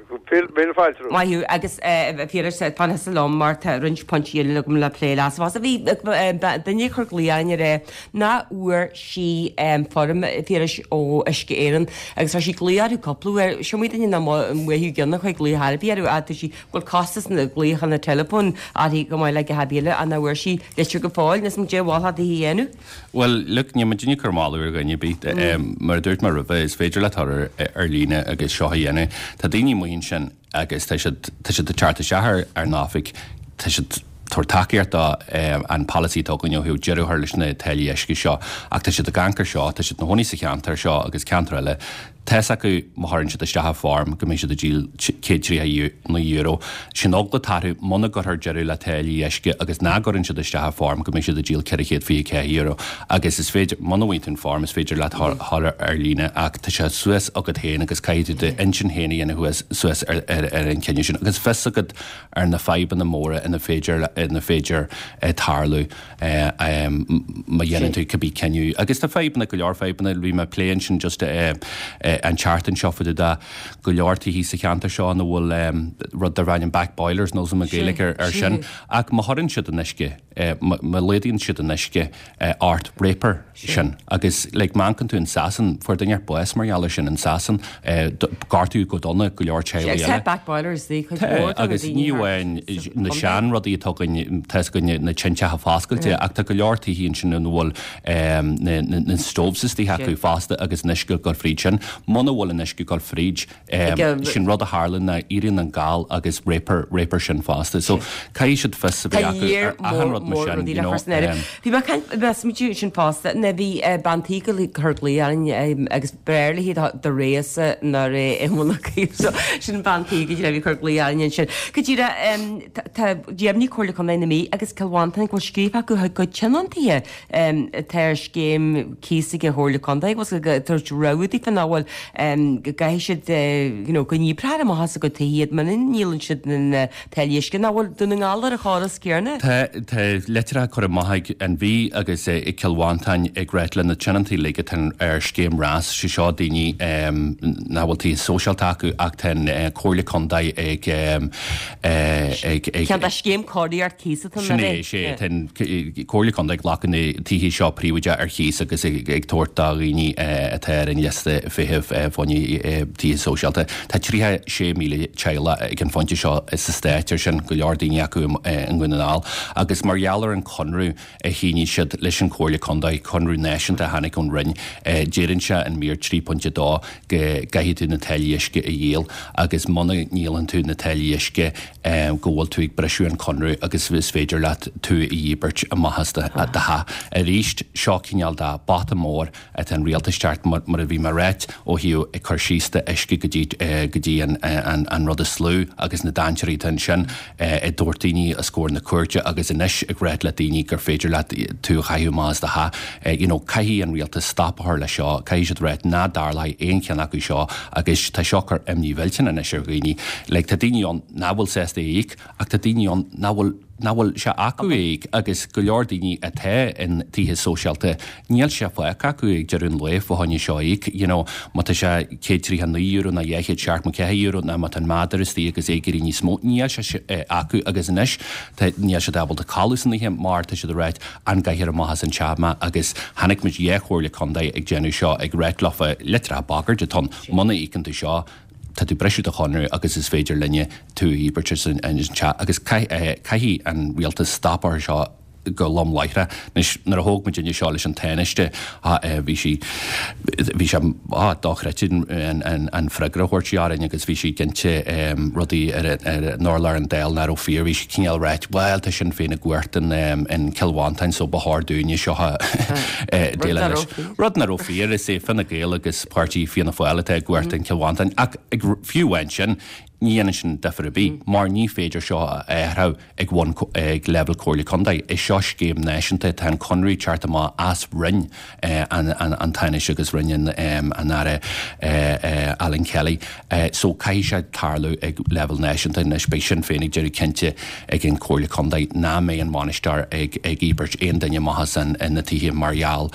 Míle fáilte romhat. Maith thú, agus a Phiarais, fan thusa liom mar tá roinnt pointí eile agam le plé leatsa fosta. Bhí duine ag cur glaoch orainn aréir nach bhfuair sí foirm, a Phiarais, ó Uisce Éireann agus chuir sí glaoch orthu cúpla uair. Is iomaí duine nach mbeadh ceann a chuir glaoch ar bith orthu ach tá sí go bhfuil costas na glaochanna teileafóin uirthi chomh maith le a dhath ar bith eile ach nach bhfuair sí litir go fóill. Níl 's a'm goidé a mholfá daoithi a dhéanamh. Bhuel, look, níl muidinne ag cur moladh ar dhuine ar bith. Mar a dúirt mé roimhe, is féidir leat dul ar líne agus seo a dhéanamh. Tá daoine amuigh ansin agus tá siad, tá siad ag teacht isteach ar ár n-oifig, tá siad ag tabhairt tacaíocht do an polasaí atá againn ó thaobh deireadh a chur leis na táillí uisce seo ach tá siad ag amharc ar seo, tá siad ina chónaí sa cheantar seo agus ceantar eile. Tá's acu má chuireann siad isteach an form go mbeidh siad ag díol €139. Sin eagla atá orthu muna gcuirfear deireadh le táillí uisce agus nach gcuireann siad isteach an form go mbeidh siad ag díol €424. Agus is féidir, muna bhfaigheann tú an form is féidir leat dhul ar líne ach tá sé suas agat féin agus caithfidh tú d'intinn féin a dhéanamh suas ar an chinneadh sin agus fios agat ar na fadhbanna móra ina féidir ina féidir tarlú. má dhéanann tú cibé cinneadh. Agus tá fadhbanna, go leor fadhbanna, bhí mé ag plé ansin just an tseachtain seo fá dtaobh de go leor tithí sa cheantar seo ina bhfuil rud darb ainm back boilers, níl 's a'm an Ghaeilge ar sin, ach má chuireann siad an uisce, má laghdaíonn siad an uisce ort, réabfar sin. Agus like má amharcann tú in Sasain, fuair duine inteacht bás mar gheall ar sin in Sasain, gortaíodh go dona go leor teaghlaigh eile. Tá back boilers ag cuid mhór de na daoine Tá, agus ní amháin na sean rudaí atá againn, tá 'fhios againn na tinteacha foscailte, ach tá go leor tithí ansin ina bhfuil na stoves istigh acu fosta agus an uisce ag dul fríd sin. Muna bhfuil an uisce ag dul fríd, Sin rud a tharlaíonn ná éiríonn an gal agus réabfar, réabfar sin fosta. So caithfidh siad fios a bheith acu ar achan rud mar sin, you know. Bhí mé ag caint, mé ag smaoitiú sin fosta, nuair a bhí bean tí ag cur glaoch orainn agus b'fhearr léi do rogha-sa ná rogha Éamonn Ó Cuív. So sin bean tí go díreach a bhí ag cur glaoch orainn ansin. Go díreach, tá dheimhnigh Comhairle Contae na Mí agus Cill Mhantáin go bhfuil scríofa acu chuig cuid tionóntaithe atá ar scéim cíosa ag an Chomhairle Contae agus ag tabhairt rabhadh daofa nach bhfuil, go gcaithfidh siad you know go ndíbreofar amach as a gcuid tithe iad muna ndíolann siad na táillí uisce. Nach bhfuil Dún na nGall ar an chóras céanna? Tá, tá litreacha curtha amach ag an Mhí agus ag Cill Mhantáin ag ráit le na tionóntaí uilig atá ar scéim RAS, sé seo daoine nach bhfuil tithe sóisialta acu ach tá an Comhairle Contae ag ag. Ceann de scéim cóiríocht cíosa atá ann, Sin é, sé. Tá an Comhairle Contae ag glacadh na tithe seo príobháideach ar chíos agus ag tabhairt do dhaoine atá ar an liosta feithimh. thaobh fá choinne tithe sóisialta. Tá 36,000 teaghlach ag an phointe seo sa Stát air sin, go leor daoine acu i nDún na nGall, agus mar gheall ar an conradh a shínigh siad leis an Chomhairle Contae, conradh náisiúnta a tháinig ón Roinn, deireann sé in mír 3.2 go gcaithfidh tú na táillí uisce a dhíol agus muna ndíolann tú na táillí uisce go bhfuil tú ag briseadh an conradh agus is féidir leat tú a dhíbirt amach as do theach. Arís, seo cineál de bata mór atá an rialtas teacht, mar a bhí mé ag ráit, ó thaobh ag cur síos d'uisce go dtí go dtí an rud is lú agus na dainséirí atá ansin ag tabhairt daoine os comhair na cúirte agus anois ag ráit le daoine gur féidir leat tú a chaitheamh amach as do theach. You know, caithfidh an rialtas stop a chur leis seo, caithfidh siad ráit ná dtarlóidh aon cheann acu seo agus tá seo ag cur imní mhillteanach anois ar dhaoine. Like, tá daoine ann nach bhfuil sásta é a íoc ach tá daoine ann nach bhfuil nach bhfuil sé acu é a íoc agus go leor daoine atá in tithe sóisialta, níl sé fágtha acu ag deireadh an lae fá choinne seo a íoc, you know, má tá sé €139 nó €274 nó má tá an madra istigh agus é ag éirí níos mó, níl sé acu agus anois tá, níl siad ábalta codladh san oíche mar tá siad ag ráit an gcaithfear amach as an teach mé agus chonaic muid dhá chomhairle contae ag déanamh seo ag ráit leofa litreacha bagairt atá ann, muna íocann tú seo, tá tú ag briseadh do chonradh agus is féidir linne tú a dhíbirt as an teach agus caithfidh an rialtas stop a chur seo go lom láithreach. Anois, nuair a thóg muidinne seo leis an Tánaiste, bhí sí, bhí sé dochreidte an freagra a thabhairt sí orainn agus bhí sí ag inse rudaí ar an urlár an Dáil nach raibh fíor. Bhí sí cineál ráit, bhuel, tá Sinn Féin i gcumhacht in Cill Mhantáin so ba chóir dúinne seo a déileáil leis. Rud nach raibh fíor, is é Fine Gael agus páirtí Fianna Fáil atá i gcumhacht in Cill Mhantáin ach fiú amháin sin, ní dhéanann sin difear ar bith mar ní féidir seo a athrú ag bhun ag leibhéal Comhairle Contae. Is seo scéim náisiúnta, tá an conradh ag teacht amach as Roinn an Tánaiste agus Roinn an Aire Alan Kelly so caithfidh sé tarlú ag leibhéal náisiúnta. Anois beidh Sinn Féin ag déanamh cinnte ag an Comhairle Contae nach mbeidh an bhainisteoir ag íbirt aon duine amach as na tithe mar gheall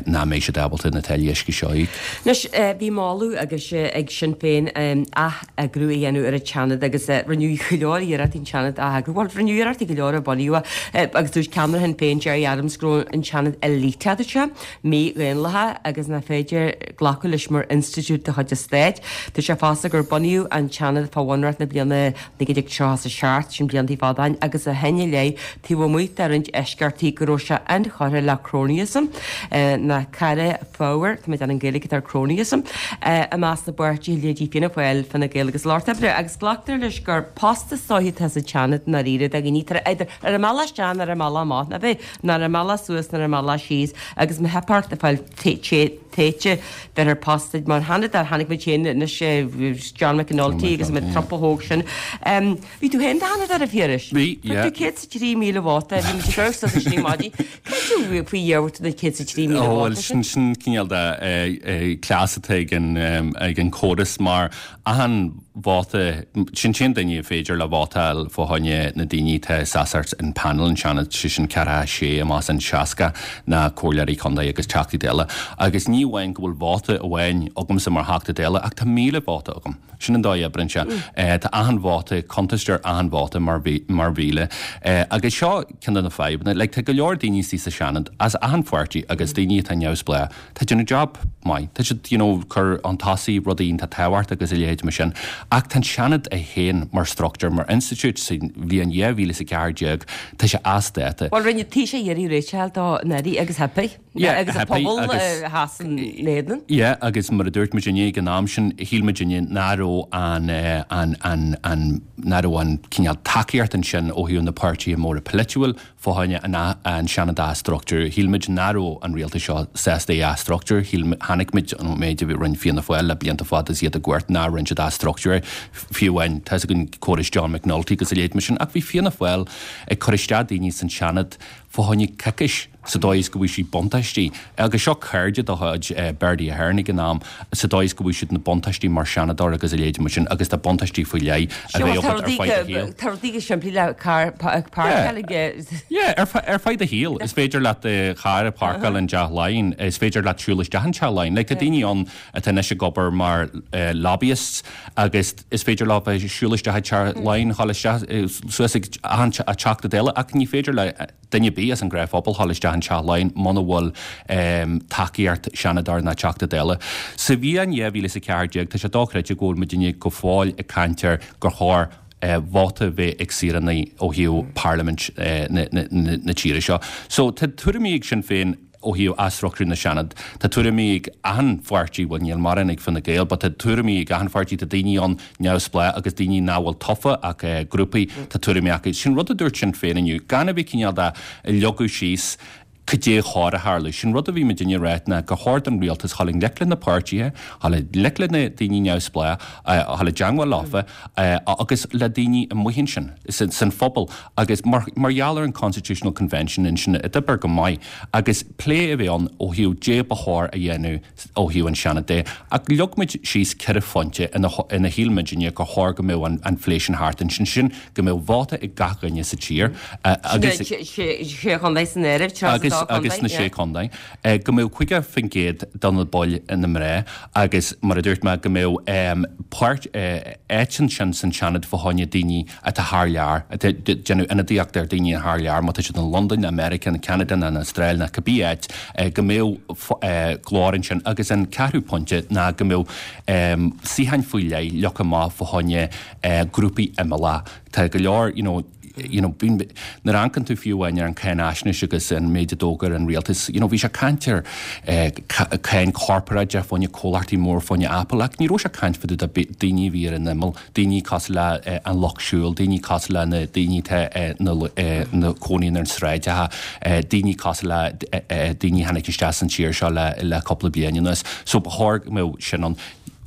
nach mbeidh siad ábalta na táillí uisce seo a íoc. Anois, bhí moladh agus ag Sinn Féin ath-eagrú a dhéanamh ar an tSeanad agus rinneadh go leor iarrachtaí an Seanad a ath-eagrú. Bhuel, rinneadh iarrachtaí go leor ó bunaíodh é agus dúirt ceannaire Shinn Féin, Gerry Adams, go raibh an Seanad éliteach, dúirt sé, mídhaonlathach agus nach féidir glacadh leis mar institiúid de chuid an stáit. Dúirt sé fosta gur bunaíodh an Seanad fá Bhunreacht na bliana 1937, sin blianta fada ó shin, agus ó shin i leith, taobh amuigh de roinnt eisceachtaí, go raibh sé inchurtha le cronyism, ná cara fabhair, tá mé ag déanamh an Gaeilge atá ar cronyism, i measc na bpáirtithe, leithéidí Fianna Fáil, Fine Gael agus Lucht Oibre, agus glactar leis gur post is dóiche atá sa tSeanad i ndáiríre do dhaoine atá idir ar an mbealach isteach nó ar an mbealach amach, ná bheith, ná ar an mbealach suas ná ar an mbealach síos, agus má theip ort ag fáil téite, bheith ar post mar Sheanadóir, chonaic muid féin anois John McAnulty agus an trupa thóg sin. Bhí tú féin i do Sheanadóir a Phiarais? Bhí, yeah. Fuair tú 103,000 vóta, bhí muid ag amharc suas ansin ar maidin. Cad é faoi dhia a bhfuair tú na 103,000 vóta sin? Ó bhuel, sin sin cineál de cleas atá ag an ag an córas mar achan vóta, sin t-aon duine a féidir le vótáil fá choinne na daoine atá seasamh in panel an Seanad, sé sin 46 amach as an 60 ná comhairleoirí contae agus Teachtaí Dála. Agus ní amháin go bhfuil vóta amháin agamsa mar Theachta Dála ach tá 1,000 vóta agam. Sin an dóigh a oibríonn sé. Tá achan vóta, cuntastar achan vóta mar 1,000. Agus seo ceann de na fadhbanna. Like, tá go leor daoine istigh sa Seanad as achan pháirtí agus daoine atá neamhspleách, tá déanamh job maith. Tá siad, you know, cur chun tosaigh rudaí iontach tábhachtach agus a leithéid mar sin. Ach tá an Seanad é féin mar struchtúr, mar institiúid sa bhliain 2014, tá sé as dáta. Bhuel, rinne Taoiseach iarraidh réiteach a fháil dó anuraidh agus theip. Yeah, agus an pobal a sheas ina éadan. Yeah, agus mar a dúirt muid inné ag an am sin, shíl muid inné nach raibh an, an, an, an, nach raibh an cineál tacaíocht ansin ó thaobh na páirtithe móra polaitiúil fá choinne an, an Seanad a athstruchtúrú. Shíl muid nach raibh an rialtas seo sásta é a athstruchtúrú. Shíl, chonaic muid an méid a bhí rinne Fianna Fáil le blianta fada is iad i gcumhacht nár rinne siad athstruchtúrú é. Fiú amháin, tá 'fhios againn córas John McNulty agus a leithéid mar sin, ach bhí Fianna Fáil ag cur isteach daoine san Seanad fá choinne coicís sa dóigh is go bhfuigh siad buntáistí, agus seo cairde de chuid Bertie Ahern ag an am, sa dóigh is go bhfuigh siad na buntáistí mar Seanadóir agus a leithéid mar sin agus tá buntáistí faoi leith a bheidh agat ar feadh do shaoil. Tá rudaí go simplí le carr a pháirceáil ag. Yeah, ar feadh do shaoil. Is féidir leat do charr a pháirceáil in dTeach Laighean, is féidir leat siúl isteach in Teach Laighean. Like tá daoine ann atá anois ag obair mar lobbyists agus is féidir leo bheith ag siúl isteach i dTeach Laighean, dhul isteach suas ag achan Teachta Dála ach ní féidir le. duine ar bith as an ngnáthphobal dhul isteach in Teach Laighean muna bhfuil tacaíocht Seanadóir ná Teachta Dála. Sa bhliain 2014 tá sé dochreidte go bhfuil muidinne go fóill ag caint ar gur chóir vóta a bheith ag saoránaigh ó thaobh parlaimint na tíre seo. So tá tuairimí ag Sinn Féin ó thaobh athstruchtúrú na Seanad, tá tuairimí ag achan pháirtí, bhuel níl mórán ag Fine Gael, but tá tuairimí ag achan pháirtí, tá daoine ann neamhspleách agus daoine nach bhfuil tofa ach grúpaí, tá tuairimí acu. Sin rud a dúirt Sinn Féin inniu, gan a bheith cineál de leagadh síos cad é chóir a tharlú. Sin rud a bhí muidinne ag ráit ná gur chóir don rialtas dhul i ngleic le na páirtithe, dhul i ngleic le na daoine neamhspleách, dhul i dteangmháil leofa agus le daoine amuigh ansin san phobal agus mar gheall ar an Constitutional Convention ansin a d'oibir go maith agus plé a bheith ann ó thaobh dé ba chóir a dhéanamh ó thaobh an Seanad de, ach leag muid síos 4 phointe ina ina shíl muidinne gur chóir go mbeadh an phlé sin thart ansin, sin go mbeadh vóta ag gach dhuine sa tír agus. Sna sé chontae san áireamh, 32 contae. Agus sna sé chontae. Go mbeadh 50% de na baill ina mná agus mar a dúirt mé go mbeadh páirt, áit ansin san Seanad fá choinne daoine atá thar lear, atá ag déanamh ionadaíocht ar daoine thar lear, má tá siad in Londain, ná Meiriceá, ná Ceanada, ná an Astráil, ná cibé áit, go mbeadh glór ansin. Agus an ceathrú pointe ná go mbeadh suíocháin faoi leith leagtha amach fá choinne grúpaí imeallacha. Tá go leor, you know, you know, bíonn, nuair a amharcann tú fiú amháin ar an cáinaisnéis agus an méid a d'fhógair an rialtas, you know, bhí sé ag caint ar cáin chorparáideach fá choinne comhlachtaí mór fá choinne Apple ach ní raibh sé ag caint fá dtaobh de daoine a bhí ar an imeall. daoine cosúil le an lucht siúil, daoine cosúil le na daoine atá ina cónaí ar na sráideacha, daoine cosúil le daoine a tháinig isteach san tír seo le cúpla bliain anuas. So ba chóir go mbeadh sin ann.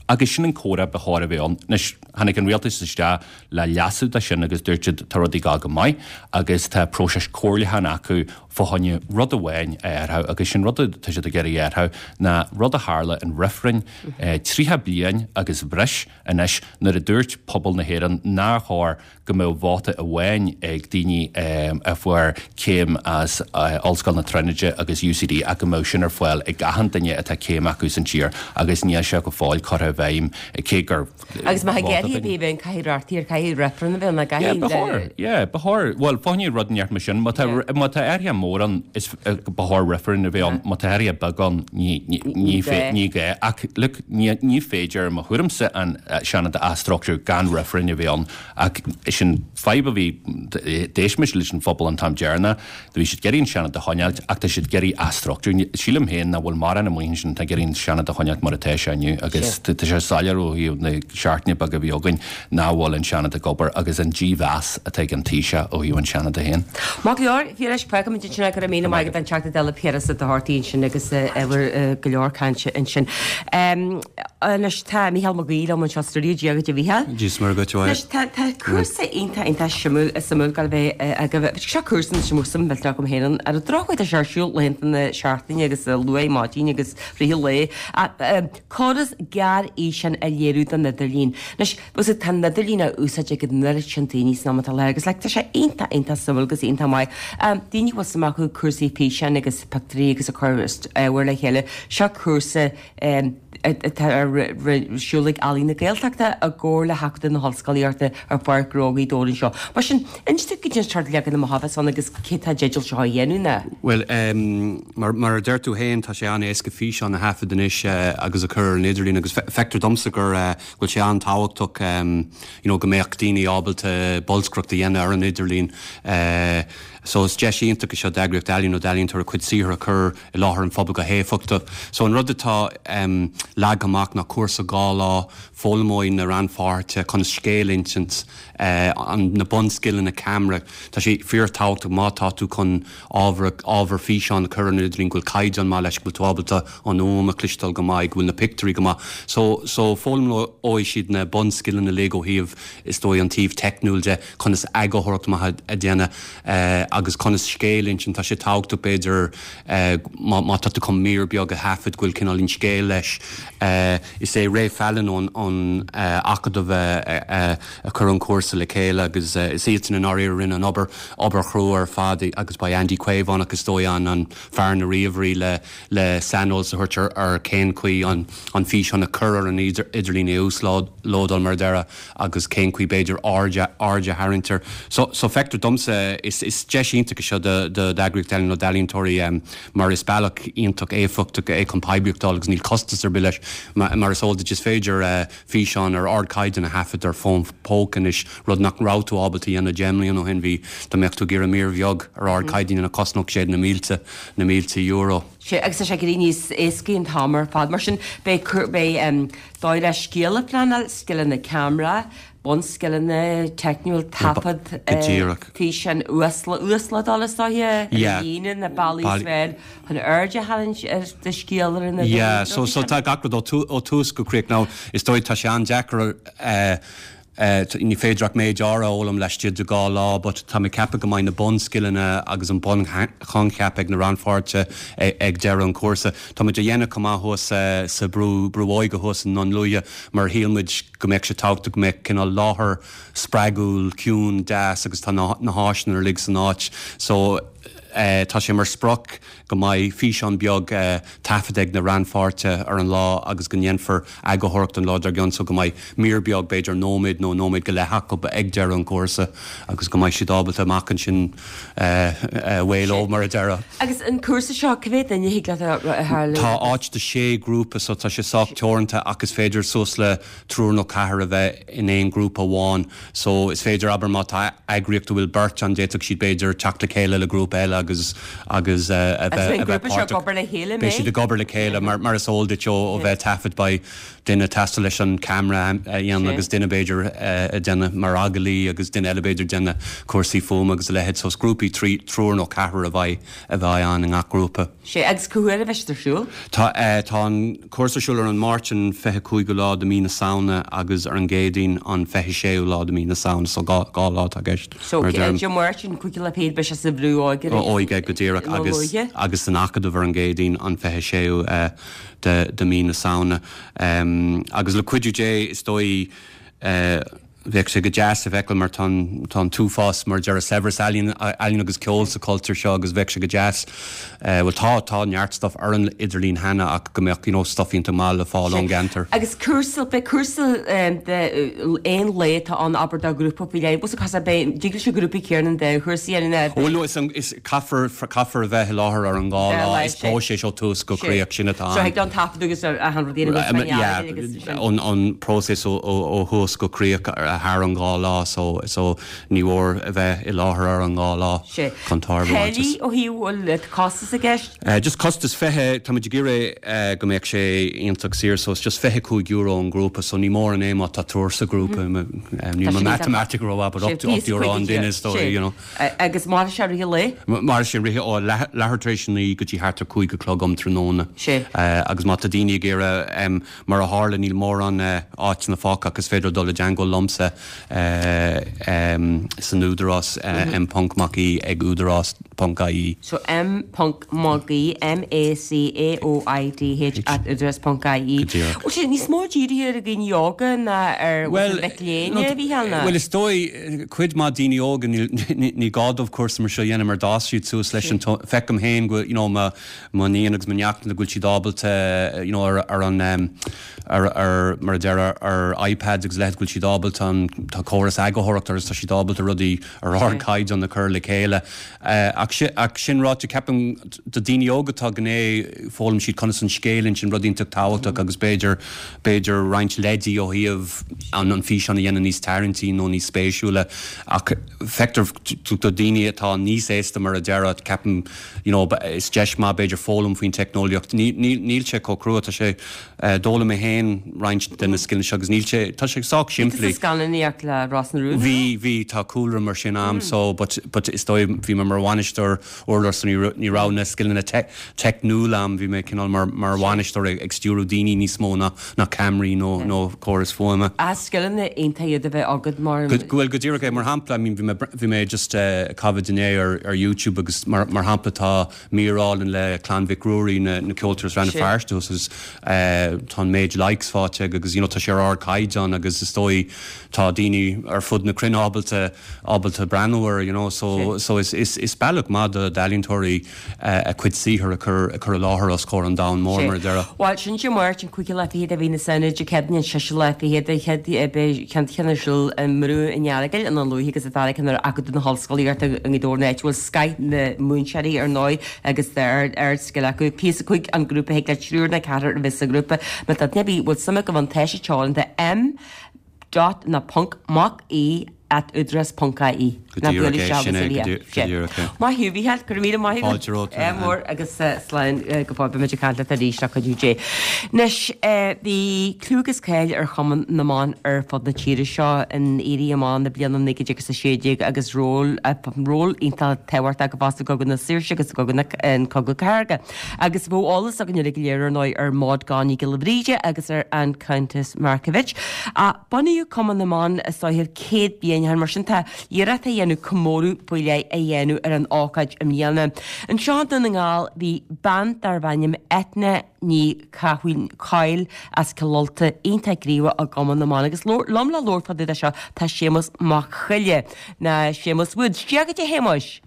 Agus sin an comhrá ba chóir a bheith ann. Anois, tháinig an rialtas isteach le leasú de sin agus dúirt siad tá rudaí ag dul go maith agus tá próiseas comhairliúcháin acu fá choinne rud amháin a athrú agus sin rud atá siad ag iarraidh a athrú ná rud a tharla in reifreann 30 bliain agus breis Anois, nuair a dúirt pobal na hÉireann nár chóir go mbeadh vóta amháin ag daoine a fuair céim as Ollscoil na Tríonóide agus UCD ach go mbeadh sin ar fáil ag achan duine atá céim acu san tír agus níl sé go fóill curtha i bhfeidhm cé gur Agus má tá athruithe ar bith a bheith ann caithfidh reachtaíocht, caithfidh reifreann a bheith ann, caithfidh Yeah, ba chóir, yeah, ba chóir. Bhuel, fá choinne rud inteacht mar sin, má tá, má tá athruithe mór ann, is, ba chóir reifreann a bheith ann, má tá athruithe beag ann, ní, ní, ní, ní gá. Ach, look, Ní féidir, i mo thuairimse, an Seanad a athstruchtúrú gan reifreann a bheith ann. Ach sin fadhb a bhí, d'éist mise leis an phobal an t-am deireanach, bhí siad ag iarraidh an Seanad a choinneáilt ach tá siad ag iarraidh athstruchtúrú. Sílim féin nach bhfuil mórán amuigh ansin atá ag iarraidh an Seanad a choinneáilt mar atá sé inniu agus tá sé soiléir ó thaobh na seachtaine beaga a bhí againn nach bhfuil an Seanad ag obair agus an dímheas atá ag an Taoiseach ó thaobh an Seanad féin. Maith go leor, a Phiarais, fágfaimid ansin é, go raibh míle maith agat an Teachta Dála Piaras Ó Dochartaigh ansin agus ábhar go leor cainte ansin. Anois tá Mícheál Mac Aoidh liom anseo sa stiúideo, Dia dhuit a Mhícheáil. Dia is Muire dhuit, a Mháire. Anois tá tá cúrsa iontach iontach suimiúil suimiúil ag gabháil a bheith agaibh. Seo cúrsa anois a mbeadh suim mhillteanach agam féin ann. Ar an drochuair tá sé ar siúl laethanta na seachtaine agus luath ar maidin agus rith an lae. Córas gearrfhíseán a léiriú don idirlíon. Anois, bhfuil fhios agat, tá an idirlíon á úsáid ag an oiread sin daoine san am atá i láthair agus like tá sé iontach, iontach suimiúil agus iontach maith. Daoine a bhfuil suim acu i cúrsaí físeáin agus pictiúirí agus ag cur ábhair le chéile, seo cúrsa atá ar siúl ag Ealaín na Gaeltachta i gcomhar le hAcadamh na hOllscolaíochta ar Pháirc Ghnó Ghaoth Dobhair anseo. Mar sin, inis dúinn goidé an sórt leagan amach a bheas ann agus cé atá i dteideal seo a dhéanamh ná. Bhuel, mar a deir tú féin, tá sé an-éasca físeán a thaifead anois agus a chur ar an idirlíon agus feictear domsa gur go bhfuil sé an-tábhachtach you know go mbeadh daoine ábalta bolscaireacht a dhéanamh ar an idirlíon. So is deis iontach é seo d'eagraíocht ealaíon nó d'ealaíontóir a cuid saothair a chur i láthair an phobail go héifeachtach. So an rud atá leagtha amach ná cúrsa 2 lá, foghlaimeoidh na rannpháirtithe conas scéal a insint, na bunscileanna ceamara. Tá sé fíorthábhachtach má tá tú chun ábhar, ábhar físeáin a chur ar an idirlíon go bhfuil caighdeán maith leis, go bhfuil tú ábalta an fhuaim a chloisteáil go maith, go bhfuil na pictiúirí go maith. So, so foghlaimeoidh siad na bunscileanna uilig ó thaobh, is dóigh, an taobh teicniúil de, conas eagarthóireacht maith a dhéanamh agus conas scéal a insint. Tá sé tábhachtach b'fhéidir má, má tá tú chun mír beag a thaifead go bhfuil cineáilín scéil leis. Is é Ray Fallon ón, ón Acadamh a, a chuir an cúrsa le chéile agus is iadsan i ndáiríre a rinne an obair, obair chrua ar fad agus ba é Andy Caomhánach is dóigh an an fear na ríomhairí le le saineolas a thabhairt ar ar cén chaoi an an físeán a chur ar an idirlíon é a uaslódáil mar a déarfá agus cén chaoi b'fhéidir aird aird a tharraingt air. So so feictear domsa is is deis. deis iontach é seo do d'eagraíocht ealaíon nó d'ealaíontóirí mar is bealach iontach éifeachtach é chun poiblíocht a fháil agus níl costas ar bith leis. Mar is eol duit is féidir físeán ar ardchaighdeán a thaifead ar fón póca anois, rud nach raibh tú ábalta a dhéanamh 10 mbliana ó shin. Bhí, dá mbeadh tú ag iarraidh mír bheag ar ardchaighdeán a dhéanamh chosnódh sé na mílte, na mílte euro. Sea, agus tá sé ag éirí níos éascaí an t-am ar fad. Mar sin, beidh, beidh dóigh le scéal a phleanáil, scileanna ceamara, bunscileanna teicniúil, taifead, Go díreach. físeán, uaslódáil is dóiche, ar Yeah. líne, na bealaí is fearr chun aird a tharraingt ar do scéal ar an idirlíon. Yeah, so, so tá gach rud ó tús go críoch. Now, is dóigh tá sé an-deacair eh, eh, ní féidir ach méid áirithe a fhoghlaim laistigh de 2 lá, but tá mé ag ceapadh go mbeidh na bunscileanna agus an bunchoincheap ag na rannpháirtithe ag deireadh an chúrsa. Tá muid á dhéanamh chomh maith thuas sa Brú, Brú Óige thuas i nDún Lúiche mar shíl muid go mbeadh sé tábhachtach go mbeadh cineál láthair spreagúil, ciúin, deas agus tá na háiseanna uilig san áit so tá sé mar sprioc go mbeidh físeán beag taifeadta ag na rannpháirtithe ar an lá agus go ndéanfar eagarthóireacht an lá dár gcionn so go mbeidh mír beag, b'fhéidir nóiméad nó nóiméad go leith acu ag deireadh an chúrsa agus go mbeidh siad ábalta amach ansin away leo mar a déarfá. Agus an cúrsa seo, cá mhéad duine a thig leat a tharlú? Tá áit do shé ghrúpa so tá sé sách teoranta ach is féidir suas le triúr nó ceathrar a bheith in aon ghrúpa amháin. So is féidir, abair má tá eagraíocht a bhfuil beirt ann, d'fhéadfadh siad b'fhéidir teacht le chéile le grúpa eile agus agus a bheith a bheith páirteach. Agus beidh an grúpa seo ag obair le chéile, Beidh siad ag obair le chéile mar mar is eol duit ó ó bheith ag taifead beidh duine ag teastáil leis an camera a dhéanamh agus duine b'fhéidir ag déanamh mar agallaí agus duine eile b'fhéidir ag déanamh cúrsaí fuaime agus a leithéid. So is grúpaí triúr nó ceathrar a bheidh a bheidh ann i ngach grúpa. Sea, agus cá huair a bheidh siad ar siúl? Tá, tá an cúrsa ar siúl ar an Máirt an 25ú lá de mí na Samhna agus ar an gCéadaoin an 26ú lá de mí na Samhna, so 2 lá atá i gceist, So, mar a deirim. Dé Máirt an 5ú lá fichead beidh sé sa Bhrú Óige arís. Óige, go díreach, agus, agus san Acadamh ar an gCéadaoin an 26ú de, de mí na Samhna. Agus le cuidiú Dé, is dóigh, Bheadh sé go deas a fheiceáil mar tá an, tá an t-uafás mar a déarfá saibhreas ealaíon, ealaíon agus ceol sa chultúr seo agus bheadh sé go deas, bhuel tá, tá neart stuff ar an idirlíon cheana ach go mbeadh you know stuff iontach maith le fáil ón gceantar. Agus cúrsa, beidh cúrsa de aon lae atá ann abair do ghrúpa faoi leith, bhfuil a fhios agat beidh, dtig leis an ghrúpa céanna an dá chúrsa a dhéanamh. Bhuel no is an, is, caithfear, caithfear a bheith i láthair ar an dhá lá, is próiseas ó tús go críoch, sin atá ann. So thig leo an taifeadadh agus achan rud a dhéanamh agus yeah, agus sin. An próiseas ó thús go críoch thar an dhá lá so so ní mór a bheith i láthair ar an dhá lá chun tairbhe a bhaint as. Táillí ó thaobh bhfuil costas i gceist? Just costas 20, tá muid ag iarraidh go mbeadh sé iontach saor so it's just €25 an grúpa so ní mórán é má tá triúr sa ghrúpa, níl mo matamaitic rómhaith but €8 an duine is dóigh you know. Agus mairfidh sé i rith an lae? Mairfidh sé i rith, ó leathuair tar éis a 9 go dtí thart ar 5 a chlog um tráthnóna. Sea. Agus má tá daoine ag iarraidh, mar a tharla, níl mórán áiteanna fágtha ach is féidir dul i dteangmháil liomsa san Údarás, M ponc Mac Aoidh ag údarás ponc ie. So M ponc Mac Aoidh, M-A-C-A-O-I-D-H at údarás ponc ie. Go díreach. Bhfuil sé níos mó dírithe ar dhaoine óga ná ar mhic léinn, a Mhícheáil, ná? Bhuel, is dóigh, cuid mhaith daoine óga, ní gá dóibh cúrsa mar seo a dhéanamh mar d'fhás siad suas leis an, feicim féin go, you know, mo iníon agus mo neachtanna go bhfuil siad ábalta, you know, ar, ar an, ar, ar, mar a déarfá, ar iPads agus a leithéid go bhfuil siad ábalta an, tá córas eagarthóireachta agus tá siad ábalta rudaí ar ardchaighdeán a chur le chéile. Ach sin ráite, ceapaim do daoine óga tá gné, foghlaim siad conas an scéal a insint, rud iontach tábhachtach agus b'fhéidir, b'fhéidir roinnt leidí ó thaobh an an físeán a dhéanamh níos tarraingtí nó níos spéisiúla. Ach feictear do daoine atá níos aosta mar a déarfá, ceapaim, you know, is deis maith b'fhéidir foghlaim faoin teicneolaíocht. Níl sé chomh crua, tá sé D'fhoghlaim mé féin roinnt de na scileanna seo agus níl sé, tá sé sách simplí. Bhí tú sa scannánaíocht le Ros na Rún? Bhí, bhí, tá cúlra mar sin a'm so but, but is dóigh, bhí mé mar bhainisteoir urlár so ní raibh, ní raibh na scileanna teicniúla a'm, bhí mé cineál mar, mar bhainisteoir ag, ag stiúrú daoine níos mó ná, ná ceamaraí nó, nó córas fuaime. Ah, scileanna iontach iad a bheith agat mar. Go, bhuel go díreach é, mar shampla, I mean bhí mé, bhí mé just ag caitheamh inné ar, ar YouTube agus mar, mar shampla tá, mír álainn le Clann Mhic Ruairí, na ceoltóirí as Rann na Feirste thuas agus tá an méid likes faighte aige agus you know tá sé ar ardchaighdeán agus is dóigh Tá daoine ar fud na cruinne ábalta ábalta breathnú air, you know, so so is is is bealach maith do d'ealaíontóirí a cuid saothair a chur a chur i láthair os comhair an domhain mór, mar a déarfá. Bhuel, sin Dé Máirt an cúigiú lá fichead de mhí na Samhna, Dé Céadaoin an seisiú lá fichead, an chéad beidh ceann ceann ar siúl i mBrú an Earagail ina luaithe agus an dara ceann ar Acadamh na hOllscolaíochta i nGaoth Dobhair an áit a bhfuil scoth na múinteoirí ar ndóigh agus tá ard-scil acu. Píosa 5 an grúpa thig le triúr nó ceathrar a bheith sa ghrúpa. Má tá duine ar bith a bhfuil suim acu ann tá sé teoranta M. dot nó ponc mac aoidh at údarás ponc ie. Go díreach é, sin é, go díreach é. Maith thú, a Mhícheáil, go raibh míle maith agat. Fáilte romhat. Ádh mór agus slán go fóill, beimid ag caint leat arís le cuidiú Dé. Anois, bhí clú agus cáil ar Chumann na mBan ar fud na tíre seo in Éirí Amach na bliana 1916 agus ról, ról iontach tábhachtach acu fosta i gCogadh na Saoirse agus i gCogadh na, an Cogadh Cathartha. Agus bheadh eolas againn uilig go léir, ar ndóigh, ar Maud Gonne Ní Ghiolla Bhríde agus ar an Countess Markievicz. Ach bunaíodh Cumann na mBan is dóiche 100 bliain ó shin, mar sin tá iarracht á dhéanamh comóradh faoi leith a dhéanamh ar an ócáid i mbliana. Anseo i nDún na nGall bhí bean darbh ainm Eithne Ní Chathail as Cill Ulta iontach gníomhach i gCumann na mBan agus liom le labhairt fá dtaobh de seo tá Séamus Mac Choille, nó Séamus Woods. Dia dhuit a Shéamuis!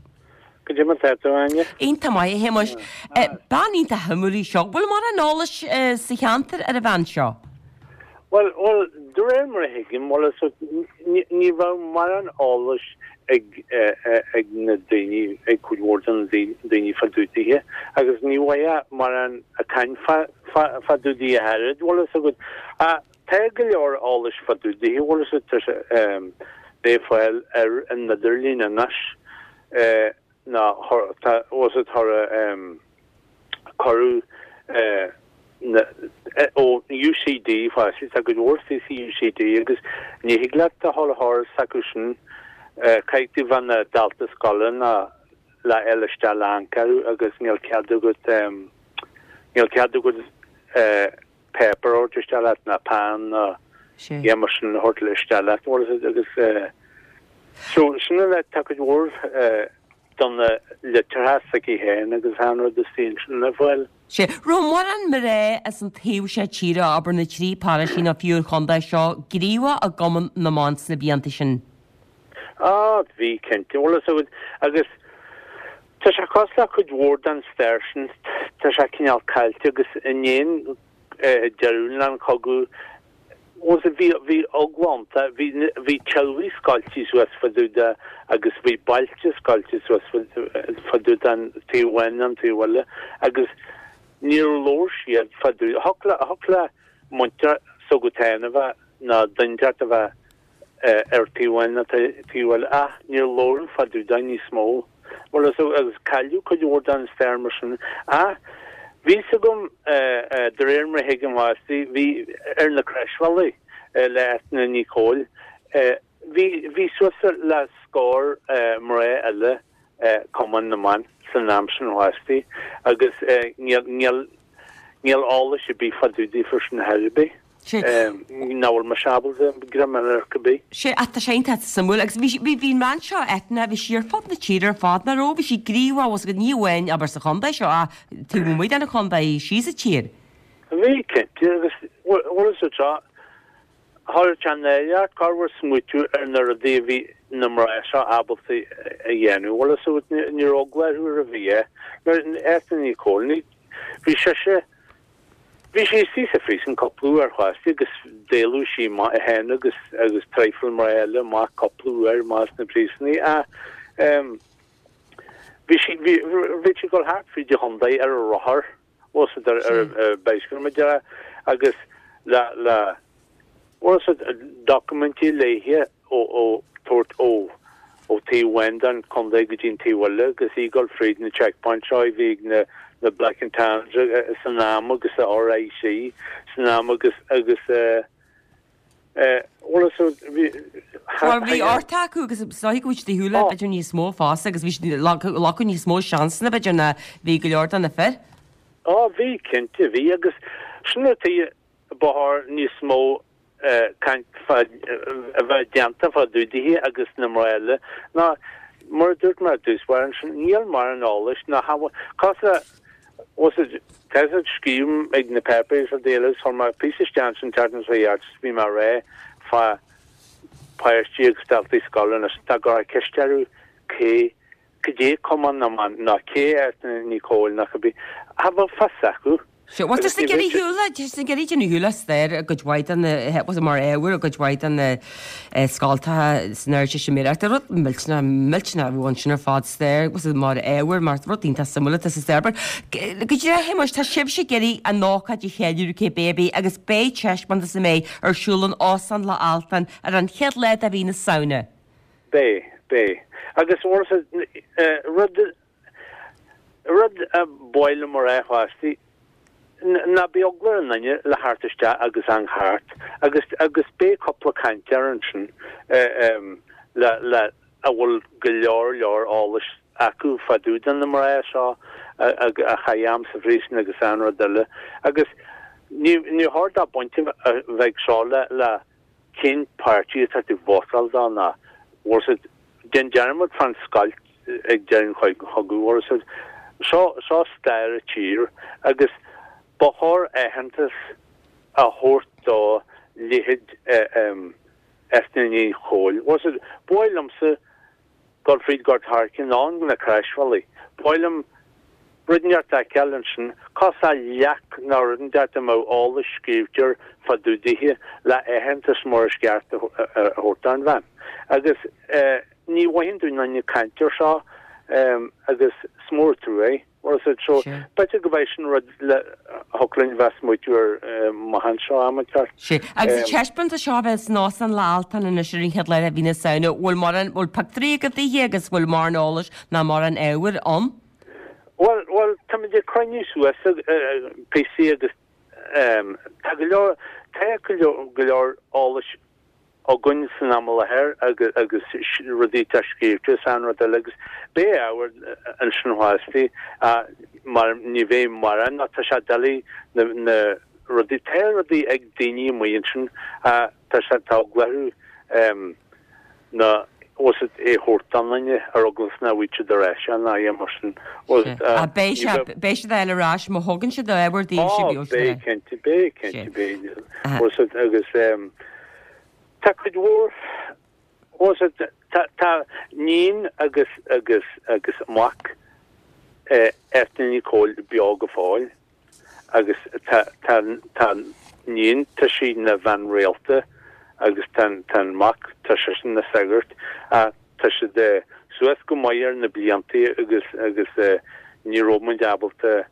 Goidé mar tá tú, Áine? Iontach maith, a Shéamuis. Bean iontach shuimiúil í seo. Bhfuil mórán eolais sa cheantar ar an bhean seo? Bhuel, bhuel, de réir mar a thuigim, bhuel, is ní, ní raibh mórán eolais ag, ag na daoine, ag cuid mhór de na daoine fá dtaobh dithe, agus ní bhfaighfeá mórán ag caint fá, fá, fá dtaobh di ach oiread, bhfuil fhios agat. Ach tá go leor eolais fá dtaobh di, bhfuil fhios agat, tá sé, le fáil ar an idirlíon anois. ná tá bhfuil fhios agat cuireadh na ó UCD fosta tá cuid mhór istigh sa UCD agus ní thig leat a dhul thar s'acu sin caithfidh tú bheith ina dalta scoile ná le fháil isteach le amharc orthu agus níl cead agat níl cead agat páipéar a thabhairt isteach leat ná peann ná a dhath mar sin a thabhairt isteach leat bhfuil fhios agat agus so sin an tá cuid mhór de na litreacha s'aici féin agus achan rud istigh ansin le fáil. Sea. Raibh mórán mná as an taobh seo tíre, abair na trí paróistí nó fiú an chontae seo, gníomhach i gCumann na mBan sna blianta sin? Á, bhí, cinnte, bhfuil fhios agat agus Tá sé cosúil le cuid mhór den stair sin, tá sé cineál caillte agus i ndiaidh deireadh an chogaidh, bhfuil fhios agat, bhí, bhí eagla ann, bhí, bhí teaghlaigh scoilte suas fá dtaobh de agus bhí bailte scoilte suas fá dtaobh den taobh amháin nó an taobh eile agus níor labhair siad fá dtaobh, thiocfadh le, thiocfadh le muintir s'agat féin a bheith nó duine inteacht a bheith ar taobh amháin nó taobh eile ach níor labhradh fá dtaobh de níos mó. Bhuel is agus cailleadh cuid mhór den stair mar sin. Ach bhí fhios agam de réir mar a thuigim fosta, bhí ar na Croisbhealaí le Eithne Ní Chomhaill, bhí bhí suas le scór mná eile Cumann na mBan san am sin fosta agus níl níl níl eolas ar bith fá dtaobh daofa sin ar chor ar bith. Sea. Nach bhfuil mise ábalta greim ar ar chor ar bith. Sea, ach tá sé iontach suimiúil agus bhí, bhí, bhí an bhean seo, Eithne, bhí sí ar fud na tíre ar fad, nach raibh? Bhí sí gníomhach, bhfuil fhios agat, ní amháin, abair, sa chontae seo ach taobh amuigh den chontae, síos an tír. Bhí, cinnte, agus bhfuil fhios agat seo, chuir sé náire ort corruair smaoitiú ar na rudaí a bhí na mná seo ábalta a dhéanamh, bhfuil fhios agat, ní raibh eagla orthu ar bith. Nuair, Eithne Ní Chomhaill, ní, bhí sise, Bhí sí istigh sa phríosún cúpla uair fosta agus d'éalaigh sí amach í féin agus agus traidhfil mná eile amach cúpla uair amach as na príosúnaí ach ehm bhí sí bhí bhí sí ag dul thart fríd an chontae ar a rothar bhfuil fhios agat ar ar ar bicycle mar a déarfá agus le le bhfuil fhios agat documentí léithe ó ó tabhairt ó ó taobh amháin den chontae go dtí an taobh eile agus í ag dul fríd na checkpoints seo a bhí ag na na Black and Tans san am agus a RIC san am agus agus eh eh bhfuil fhios agat bhí Bhuel bhí ort acu agus is dóigh go bhfuil siad ag siúl b'fhéidir níos mó fosta agus bhí siad glacadh níos mó seansanna b'fhéidir ná bhí go leor de na fir. Á bhí cinnte bhí agus sin an tuige ba chóir níos mó caint fá a bheith déanta fá dtaobh dithe agus na mná eile ná mar a dúirt mé ar dtús báire ansin, níl mórán eolais ná cosúil le bhfuil fhios agat tá fhios agat scríobhaim ag na páipéirí sa Daily agus chuir mé píosa isteach ansin an tseachtain seo chuaigh thart bhí mé ag rá fá. páistí agus daltaí scoile anois dá gcuirfeá ceist orthu cé cad é Cumann na mBan nó cé Eithne Ní Chomhaill nó cibé, cha bheadh fios acu. Sea, bhuel, tá siad ag iarraidh siúl, tá siad ag iarraidh déanamh siúl as stair i gcuid mhaith de na, bhuel, mar ábhar i gcuid mhaith de na scoltacha san Ardteistiméireacht. Rud millteanach, millteanach a bheadh ansin ar fad, stair, bhuel, mar ábhar, mar rud iontach suimiúil atá sa stair. But, go díreach, a Shéamuis, tá sibhse ag iarraidh an ócáid a cheiliúradh cibé ar bith agus beidh taispeántas an mbeidh ar siúl in Óstán Loch Altan ar an chéad lá de mhí na Samhna. Beidh, beidh. Agus, bhuel, rud, Rud a ba mhaith liom a rá fosta, ná bíodh eagla ar an nduine le theacht isteach agus amharc thart agus agus beidh cúpla cainteoir ansin le le a bhfuil go leor leor eolais acu fá dtaobh de na mná seo a chaith am sa phríosún agus achan rud eile agus ní ní chóir dó baint a bheith ag seo le le cén páirtí atá tú vótáil dó ná bhfuil a fhios agat déan dearmad fán scoilt ag deireadh an chogaidh bhfuil a fhios agat seo seo stair an tír agus ba chóir aitheantas a thabhairt do leithéid Eithne Ní Chomhaill bhfuil a fhios agat ba mhaith liomsa dul fríd Gort Aircinn nó na Croisbhealaí. Ba mhaith liom rud inteacht a fheiceáil ansin, cosúil le leac nó rud inteacht a mbeadh eolas scríobhte air fá dtaobh dithe le aitheantas mar is ceart a thabhairt don bhean. Agus ní mhothaíonn tú aon duine ag caint air seo agus is mór an trua é. Bhfuil a fhios agat so b'fhéidir go mbeidh sin rud le thiocfadh linn bheith smaoitiú air amach anseo am inteacht. Sea. Agus an taispeántas seo a bheas in Óstán Loch Altan anois ar an chéad lá de mhí na Samhna, bhfuil mórán, bhfuil pictiúirí agat daoithe agus bhfuil mórán eolais ná mórán ábhair ann? Bhuel, bhuel, táimid ag cruinniú suas píosaí agus tá go leor, tá go leor, go leor eolais againn san am i láthair agus rudaí atá scríobhte is achan rud eile agus beidh ábhar ansin fosta mar ní bheidh mórán nó tá sé doiligh na na rudaí tá rudaí ag daoine amuigh ansin tá sé tá eagla orthu na bhfuil a fhios agat é a thabhairt don duine ar eagla is nach bhfaighidh siad ar ais é ná é mar sin bhfuil a fhios agat Beidh sé beidh siad á fháil ar ais má thugann siad ábhar daoibh Ó beidh cinnte beidh cinnte beidh bhfuil a fhios agat agus Tá cuid mhór, bhfuil a fhios agat, tá, tá níon agus, agus, agus mac Eithne Ní Chomhaill beo go fóill agus tá, tá, tá níon, tá sí ina bhean rialta agus tá, tá an mac, tá seisean ina shagart ach tá siad suas go maith ar na bliantaí agus, agus ní raibh muid ábalta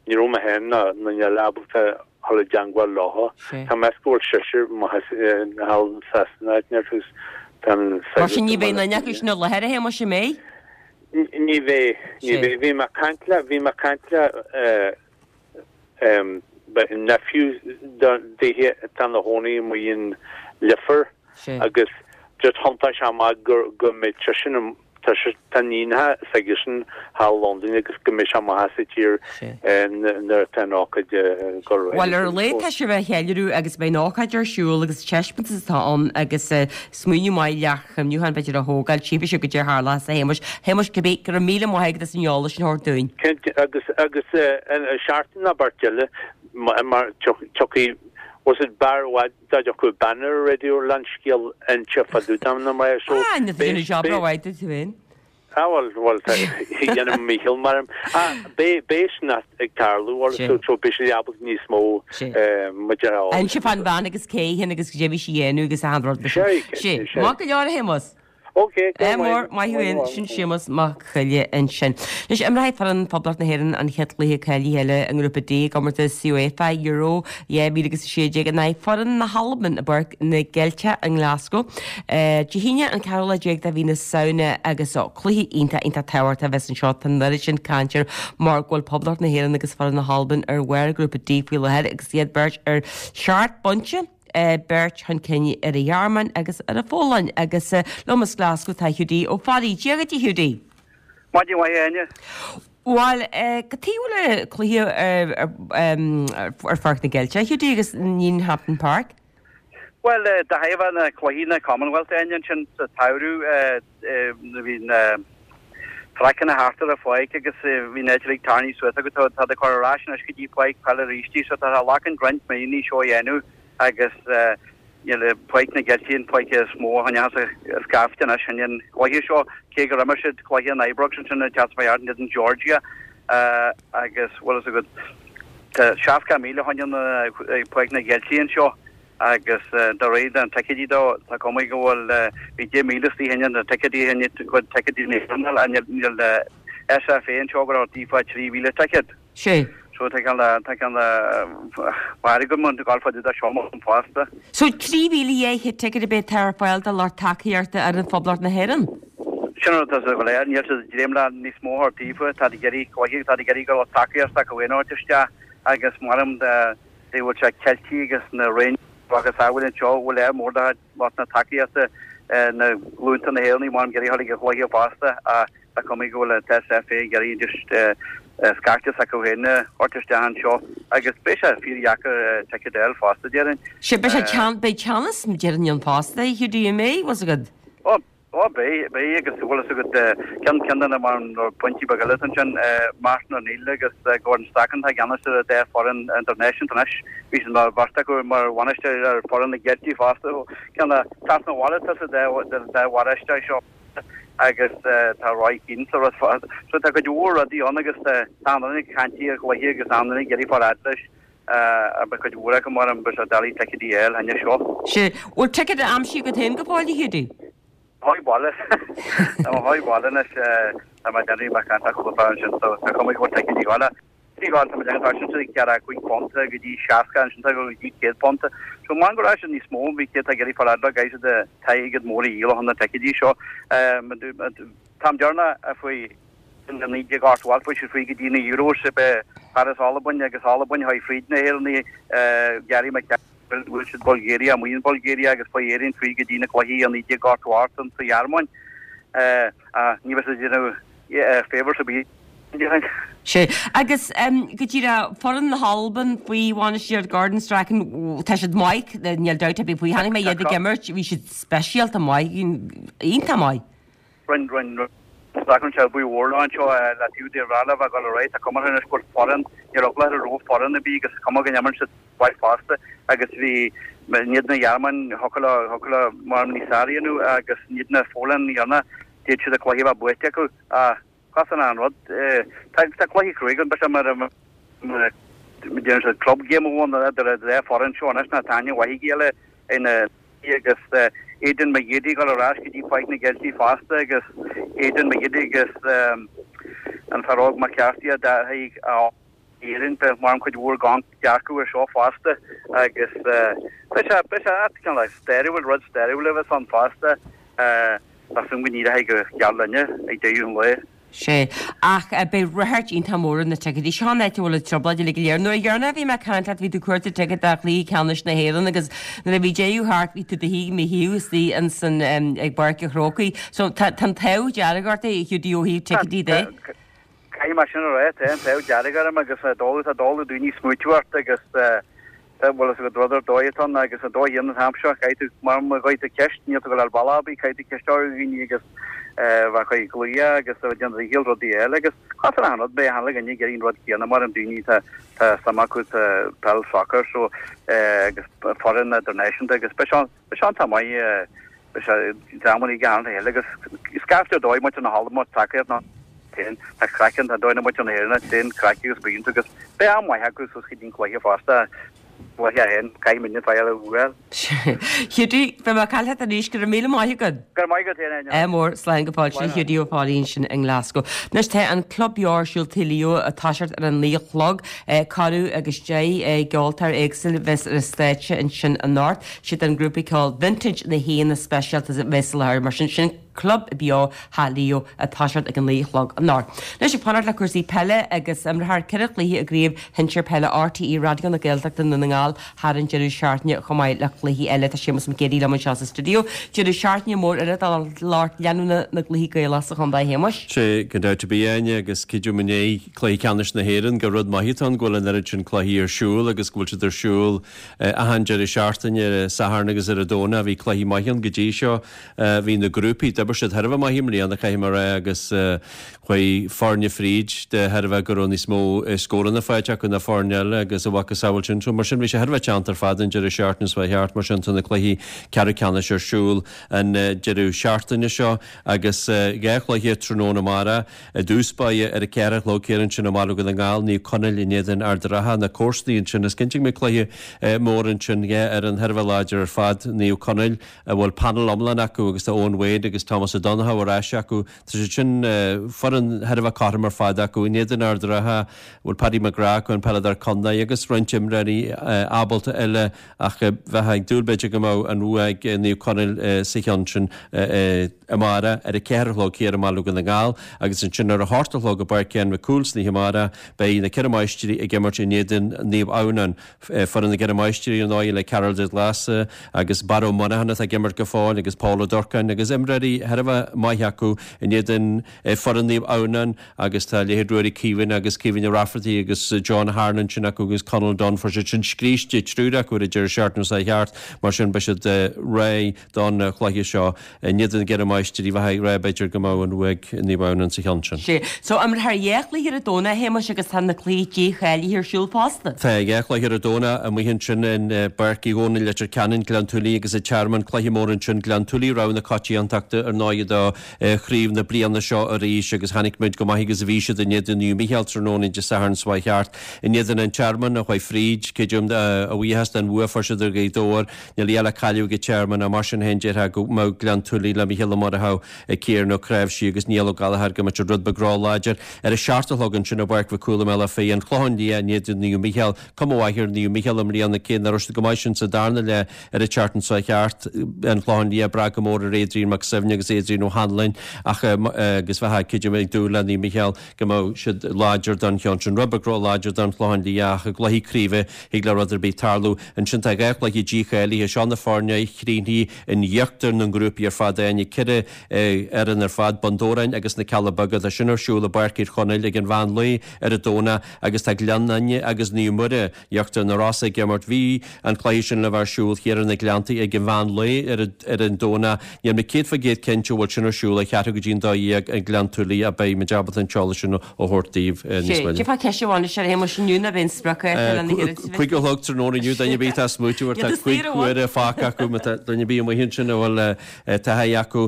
Ní raibh mé féin ná duine eile ábalta dhul i dteangmháil leo. Tá mé meas go bhfuil seisear maith thall in Sasana áit inteacht agus tá an Mar sin ní bheidh aon duine acu sin i láthair a Shéamuis an mbeidh? Ní bheidh, ní bheidh. Bhí mé ag caint le, bhí mé ag caint le nephew dithe atá ina chónaí amuigh in Leifear agus just thiontaigh sé amach go mbeidh seisean Tá sé, tá níonacha s'aigesean thall Londain agus go mbeidh sé amach as an tír nuair atá an ócáid ag dul ar aghaidh. Bhuel, ar a laghad tá sibh á cheiliúradh agus beidh an ócáid ar siúl agus taispeántas atá ann agus smaoineamh maith leac chuimhneacháin b'fhéidir a thógáil, tchífidh sibh goidé a tharlóchas a Shéamuis. Shéamuis, cibé, go raibh míle maith agat as an eolas sin a thabhairt dúinn. Cinnte, agus, agus seachtain nó beirt eile mar tiocfaidh, was it b'fhearr i bhfad Dá dtiocfadh bean ar an raidió le an scéal a inse fá dtaobh dom na mná so Ah, ní déanamh job ró-mhaith duit féin. Ah bhuel, bhuel, tá, dhéanaim mo dhícheall mar ah, beidh, beidh sin ag tarlú bhuel, so, so beidh siad ábalta níos mó maidir a fháil. Inse fán bhean agus cé hí agus goidé a bhí sí a dhéanamh agus achan rud mar sin. Sé, Sé, maith go leor a Shéamus. Ok, go Ádh maith. mór, maith thú féin, sin Séamus Mac Coille ansin. Anois, imreoidh foireann Phoblacht na hÉireann an chéad chluiche cáilithe eile i nGrúpa D i gcomórtas UEFA Euro 2016 in aghaidh foireann na hAlban i bPáirc na gCeilteach i nGlasgow Dé hAoine an ceathrú lá déag de mhí na Samhna agus cluiche iontach, iontach tábhachtach a bheas anseo. Tá an oiread sin cainte air mar go bhfuil Poblacht na hÉireann agus foireann na hAlban ar bharr Ghrúpa D faoi láthair agus iad beirt ar sheacht bpointe. beirt chun cinn ar an Ghearmáin agus ar an Pholainn agus liom as Glasgow tá Hiúdaí Ó Fearraigh. Dia dhuit a Hiúdaí. Maidin mhaith a Áine. Bhuel, cad chuige a bhfuil cluiche ar Pháirc na gCeilteach, a Hiúdaí, agus ní in Hampden Park? Bhuel, de thairbhe na cluichí na Commonwealth, Áine, ansin sa tsamhradh, bhí na traiceanna thart ar an pháirc agus bhí an áit uilig tarraingthe suas agus tá siad ag cur ar ais anois go dtí páirc peile arís í so tá sé ag glacann roinnt míonna seo a dhéanamh agus. Níl Páirc na gCeiltigh an pháirc is mó a choinneochas scaifte anois in an chluiche seo, cé gur imir siad cluiche in Ibrox ansin an tseachtain seo thart in éadan Georgia agus bhfuil fhios agat tá 60,000 a choinneoidh Páirc na gCeiltigh anseo agus de réir na ticéidí dó tá cuma go bhfuil bhí 10,000 istigh in na ticéidí in cuid ticéidí na hÉireann níl SFA anseo go raibh díobh 3,000 ticéad. Sé. So tá ceann le, tá ceann le mhairg agam an gabháil fada dá seo amach fosta. So 13,200 ticéad a bheidh ar fáil do lucht tacaíochta fhoireann Phoblacht na hÉireann? Sin an rud atá sa go léir, níl siad ag dréim le níos mó a thabhairt daofa, tá ag iarraidh cluiche, tá ag iarraidh go lucht tacaíochta acu aon áit isteach agus maram de bhfuil sé Ceiltigh agus na Rangers agus a bhfuil anseo, bhfuil air mór de lucht na tacaíochta na glúnta na hÉireannaigh maram ag iarraidh a dhul ag an chluiche fosta ach Tá cuma go bhfuil an SFA ag iarraidh just scaifte s'acu féin a thabhairt isteach anseo agus beidh sé fíordheacair ticéad a fháil fosta, déarfainn. Sea, beidh sé teann, beidh teannas, déarfainn ann fosta, a Hiúdaí, an mbeidh, bhfuil 's agat? Ó, ó beidh, beidh agus bhfuil fhios agat ceann, ceann de na mar na pointí beaga eile atá ansin, Martin O'Neill agus Gordon Strachan atá i gceannas ar an dá foireann idirnáisiúnta anois, bhí siad mar bheirt acu mar bhainisteoir ar foireann na gCeiltigh fosta, ceann de, teacht na bhaile atá sa dá, dá bhainisteoir seo. agus tá Roy Keane sa rud fad. So tá cuid mhór rudaí ann agus tá an-duine ag caint ar chluiche agus an-duine ag iarraidh fáil fhad leis beidh cuid mhór acu mar an beidh sé doiligh ticéidí a fháil cheana seo. Sea. Bhfuil ticéad aimsithe agat féin go fóill, a Hiúdaí? Tá baile. Tá mo sháith baile anois tá mé ag déanamh mé caint le cúpla fear ansin so tá cuma go bhfuil ticéidí a fháil. Ní gá tá muid ag tá sin £45 go dtí 60 ansin tá go dtí £100. So man go raibh siad níos mó bhí céad ag iarraidh fáil fhad le caithfidh siad airgead mór a dhíol ó na ticéidí seo. Táim dearnach faoi in 1988 fuair siad faoi go dtí na Euros i bParis Albain agus Albain chuaigh fríd na hÉireannaigh Gary McCarthy bhuail siad Bulgaria amuigh in Bulgaria agus fuair Éirinn fríd go dtí na cluichí i 1988 sa Ghearmáin. Ní bheidh siad ag déanamh favours ar bith. Sea. Agus go díreach, foireann na hAlban faoi bhainistíocht Gordon Strachan, tá siad maith, níl dabht ar bith faoi. Chonaic mé iad ag imirt, bhí siad speisialta maith, iontach maith. Rinn, rinn, rinn Strachan sé bua mhór leo anseo le taobh de Rala bheith ag dul ar aghaidh. Tá cuma orthu anois go bhfuil foireann, níor eagla orthu raibh foireann ar bith agus cuma go n-imríonn siad mhaith fosta agus bhí in éadan na Ghearmáin, thiocfadh leo, thiocfadh leo mar níos fearr a dhéanamh agus in éadan na Pholainn, ní dhearna, d'fhéad siad an cluiche a bheith buaite acu ach Casann an rud. Tá cluiche cruaidh ann, beidh sé mar a déanann siad club game amháin idir an dá foireann seo anois ná tá aithne mhaith ag a chéile ina agus Aidan McGeady ag dul ar ais go dtí Páirc na gCeiltigh fosta agus Aidan McGeady agus an fear óg McCarthy a d'athaigh a Éirinn, beidh mar an cuid mhór gan dearcadh ar seo fosta agus beidh sé beidh sé cineál stairiúil, rud stairiúil a bheas ann fosta. Tá súil go n-éireoidh go geal linne ag deireadh an lae. Sea, ach beidh ráchairt iontach mór ar na ticéidí. Seo an áit a bhfuil an trioblóid uilig go léir. Nuair a dheireanach a bhí mé ag caint leat bhí tú ag cuartú ticéad do chluiche ceannais na hÉireann agus nuair a bhí deireadh thart bhí tú do shuí i mo thaobh istigh ansan ag Páirc an Chrócaigh. So tá an t-ádh dearg ort a Hiúdaí ó thaobh ticéidí de. Caithfidh mé sin a rá, tá an t-ádh dearg orm agus tá doiligh daoine smaoitiú ort agus tá, bhfuil fhios agat rud ar dóigh atá ann agus an dóigh an t-am seo, caithfidh tú, mar má gheobhaidh tú ceist, níl tú ag dul ar bhealach ar bith, caithfidh tú ceist a chur ar dhaoine agus bheith chuig glaoch agus a bheith déanamh do dhícheall rudaí eile agus caithfear achan rud, beidh achan duine ag iarraidh an rud céanna mar an daoine tá tá suim acu sa peil soccer so agus foireann idirnáisiúnta agus beidh sé beidh sé iontach maith beidh sé dreamanna ag achan eile agus scaifte ar dóigh muintir na hAlban mar tacaíocht ná féin tá craic ann tá dóigh na muintir na hÉireann féin craic agus buíonn agus beidh am maith acu suas go dtí an cluiche fosta cluiche a haon caithfidh muidne fáil a bhuail. Hiúdaí, beidh mé ag caint leat arís, go raibh míle maith agat. Go raibh maith agat féin, Áine. Ádh mór, slán go fóill. Sin Hiúdaí Ó Foghlú ansin i nGlasgow. Anois tá an Club Beo ar siúl Tigh Leo ag toiseacht ar an naoi a chlog. Corradh agus 10 gceoltóir éagsúil a bheas ar an stáitse ansin anocht. Siad an grúpa ceoil Vintage na haíonna speisialta a bheas i láthair, mar sin, sin Club Beo Theach Leo ag toiseacht ag an naoi a chlog anocht. Anois ag fanacht le cúrsaí peile agus imreofar 4 chluiche i gCraobh Shinsir Peile RTÉ Raidió na Gaeltachta i nDún na nGall thar an deireadh seachtaine chomh maith le cluichí eile. Tá Séamus Mac Géidigh liom anseo sa stiúideo. Deireadh seachtaine mór eile do lucht leanúna na gcluichí Gaelach sa chontae, a Shéamuis. Sea, gan dabht ar bith, Áine, agus creidim i ndiaidh cluiche ceannais na hÉireann gur rud maith atá ann go bhfuil an oiread sin cluichí ar siúl agus go bhfuil siad ar siúl achan deireadh seachtaine, ar an Satharn agus ar an Domhnach. Bhí cluichí maithe ann go dtí seo. Bhí na grúpaí, d'oibir siad thar a bheith maith i mbliana, caithfidh mé a rá, agus chuaigh foirne fríd de thairbhe go raibh níos mó scóranna faighte acu ná foirne eile agus a mhacasamhail sin. So mar sin bhí sé. beidh sé thar a bheith teannta ar fad an deireadh seachtaine seo thart, mar sin tá na cluichí ceathrú ceannais ar siúl an deireadh seachtaine seo agus 2 chluiche tráthnóna amárach. I dtús báire ar a 4 a chlog thiar ansin i mBaile Dhún na nGall, Naomh Conaill in éadan Ard an Rátha, na comharsanaí ansin. Is cinnte go mbeidh cluiche mór ansin, 2 fhoireann thar a bheith láidir ar fad, Naomh Conaill a bhfuil panel iomlán acu agus tá Eoin Wade agus Tomás Ó Donnchadha ar ais acu. Tá siad sin, foireann thar a bheith cothrom ar fad acu. In éadan Ard an Rátha a bhfuil Paddy McGrath acu, an peileadóir contae, agus roinnt imreoirí ábalta eile ach bheifeá ag dúil b'fhéidir go mbeadh an bhua ag Naomh Conaill sa cheann sin amárach ar a 4 a chlog thiar i mBaile Dhún na nGall agus ansin ar a hocht a chlog i bPáirc Eoin Mhic Cumhaill san oíche amárach beidh na Ceithre Máistrí ag imirt in éadan Naomh Adhamhnáin. Foireann na gCeithre Máistrí ar ndóigh le Karol de Ghlasa agus Barra Ó Monacháin atá ag imirt go fóill agus Pól Ó Durcáin agus imreoirí thar a bheith maith acu in éadan foireann Naomh Adhamhnáin agus tá leithéid Ruairí Caoimhín agus Caoimhín Ó Raifeartaigh agus John Harnan ansin acu agus Conal Dunne fuair siad sin scríste triúr acu ar an deireadh seachtaine seo thart mar sin beidh siad réidh don chluiche seo in éadan na gCeithre Máistrí bheifeá ag rá b'fhéidir go mbeadh an bhua ag Naomh Adhamhnáin sa cheann sin. Sea. So imreofar 2 chluiche ar an Domhnach, a Shéamais, agus tá na cluichí dícháilithe ar siúl fosta. Tá 2 chluiche ar an Domhnach amuigh ansin i bPáirc Uí Dhónaill, Leitir Ceanainn, Gleann tSúilí agus an Tearmann. Cluiche mór ansin, Gleann tSúilí rogha na coitiantachta ar ndóigh do chraobh na bliana seo arís agus chonaic muid chomh maith agus a bhí siad in éadan Naomh Mícheál tráthnóna Dé Sathairn seo thart. In éadan an Tearmann a chuaigh fríd, creidim, a bhuíochas den bhua a fuair siad ar Ghaoth Dobhair. Níl a dhath le cailleadh ag an Tearmann ach mar sin féin déarfá go mbeadh Gleann tSúilí le Mícheál Ó Murchú, Ciarán Ó Cnáimhsí agus Niall Ó Gallchóir go mbeadh siad rud beag róláidir. Ar a seacht a chlog ansin i bPáirc Mhic Cumhaill i mBealach Féich, An Clochán Liath in éadan Naomh Mícheál. Cuma mhaith ar Naomh Mícheál i mbliana cé nach raibh siad chomh maith sin sa darna leath ar an tseachtain seo thart. An Clochán Liath ag brath go mór ar Adrian Mac Suibhne agus Adrian Ó hAnluain ach agus bheifeá creidim ag dúil le Naomh Mícheál go mbeadh siad láidir don cheann sin. Rud beag róláidir don Chlochán Liath ach i gcluichí craoibhe thig le rud ar bith tarlú. Ansin tá 2 chluiche dícháilithe. Seo na foirne a chríochnaigh in íochtar na ngrúpaí ar fad, Áine, 4 fhoireann ar fad, Bun Dobhráin agus na Cealla Beaga. Tá sin ar siúl i bPáirc Thír Chonaill ag an mheán lae ar an Domhnach agus tá Gleann Fhinne agus Naomh Muire, Íochtar na Rosa ag imirt. Bhí an cluiche sin le bheith ar siúl thiar ar na Gleanntaí ag an mheán lae ar an Domhnach. Níl mé 100% cinnte an bhfuil sin ar siúl ar cheathrú go dtí an 12 i nGleann tSúilí ach beidh muid ábalta an t-eolas sin a thabhairt daoibh níos moille. Cé fá ceist amháin is ar Shéamus inniu ná beidh an sprioc ar na hiarratais. 5 a chlog tráthnóna inniu, duine ar bith atá ag smaoitiú ar tá 5 huaire fágtha acu, má tá duine ar bith amuigh ansin a bhfuil taithí acu.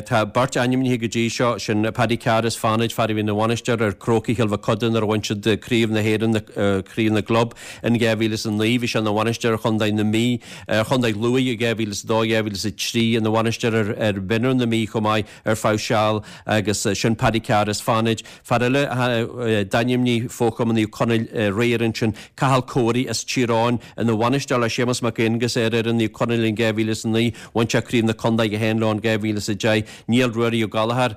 Tá beirt ainmnithe go dtí seo, sin Paddy Carr as Fánaid, fear a bhí ina bhainisteoir ar Chrócaigh Chill Mochuda nuair a bhain siad Craobh na hÉireann, Craobh na gClub, in 2009. Bhí sé ina bhainisteoir ar Chontae na Mí, ar Chontae Lú i 2002, 2003, ina bhainisteoir ar mhionúir na Mí chomh maith ar feadh seal agus sin Paddy Carr as Fánaid. Fear eile a d'ainmnigh Fo-Chumann Naomh Conaill aréir ansin, Cathal Corey as Tír Eoghain, ina bhainisteoir le Séamus Mac Aonghusa ar fhoireann Naomh Conaill in 2009. Bhain sé Craobh na Contae féin leo in 2010. Níl Ruairí Ó Gallchóir,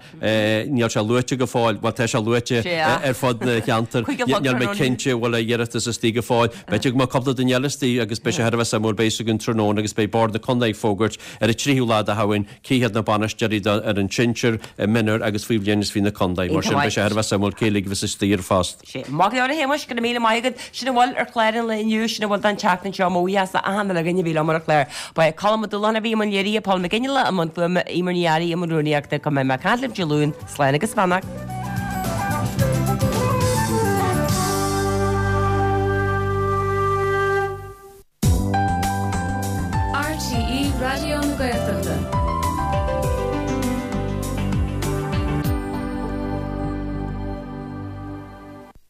níl sé luaite go fóill, bhuel tá sé luaite ar fud na cheantar, níl mé cinnte an bhfuil a iarratas istigh go fóill. B'fhéidir go mbeadh cúpla duine eile istigh agus beidh sé thar a bheith suimiúil, beidh a fhios againn tráthnóna agus beidh Bord na Contae ag fógairt ar an 3ú lá de Shamhain cé hiad na bainisteoirí do fhoireann sinsir, mionúir agus faoi bhliain is 20 na contae. Mar sin beidh sé thar a bheith suimiúil cé uilig a bheas istigh ar an phost. Sea, maith go leor a Shéamais, go raibh míle maith agat. Sin a bhfuil ar chlár an lae inniu, sin a bhfuil don tseachtain seo, mo bhuíochas le achan duine againn a bhí liom ar an chlár. Ba é Colm Ó Dúlacháin a bhí i mbun léirithe, Paul McGinley i mbun fuaime, Eimear Ní Fhearraigh i mbun rúnaíochta. Go mbeidh mé ag caint libh Dé Luain, slán agus beannacht.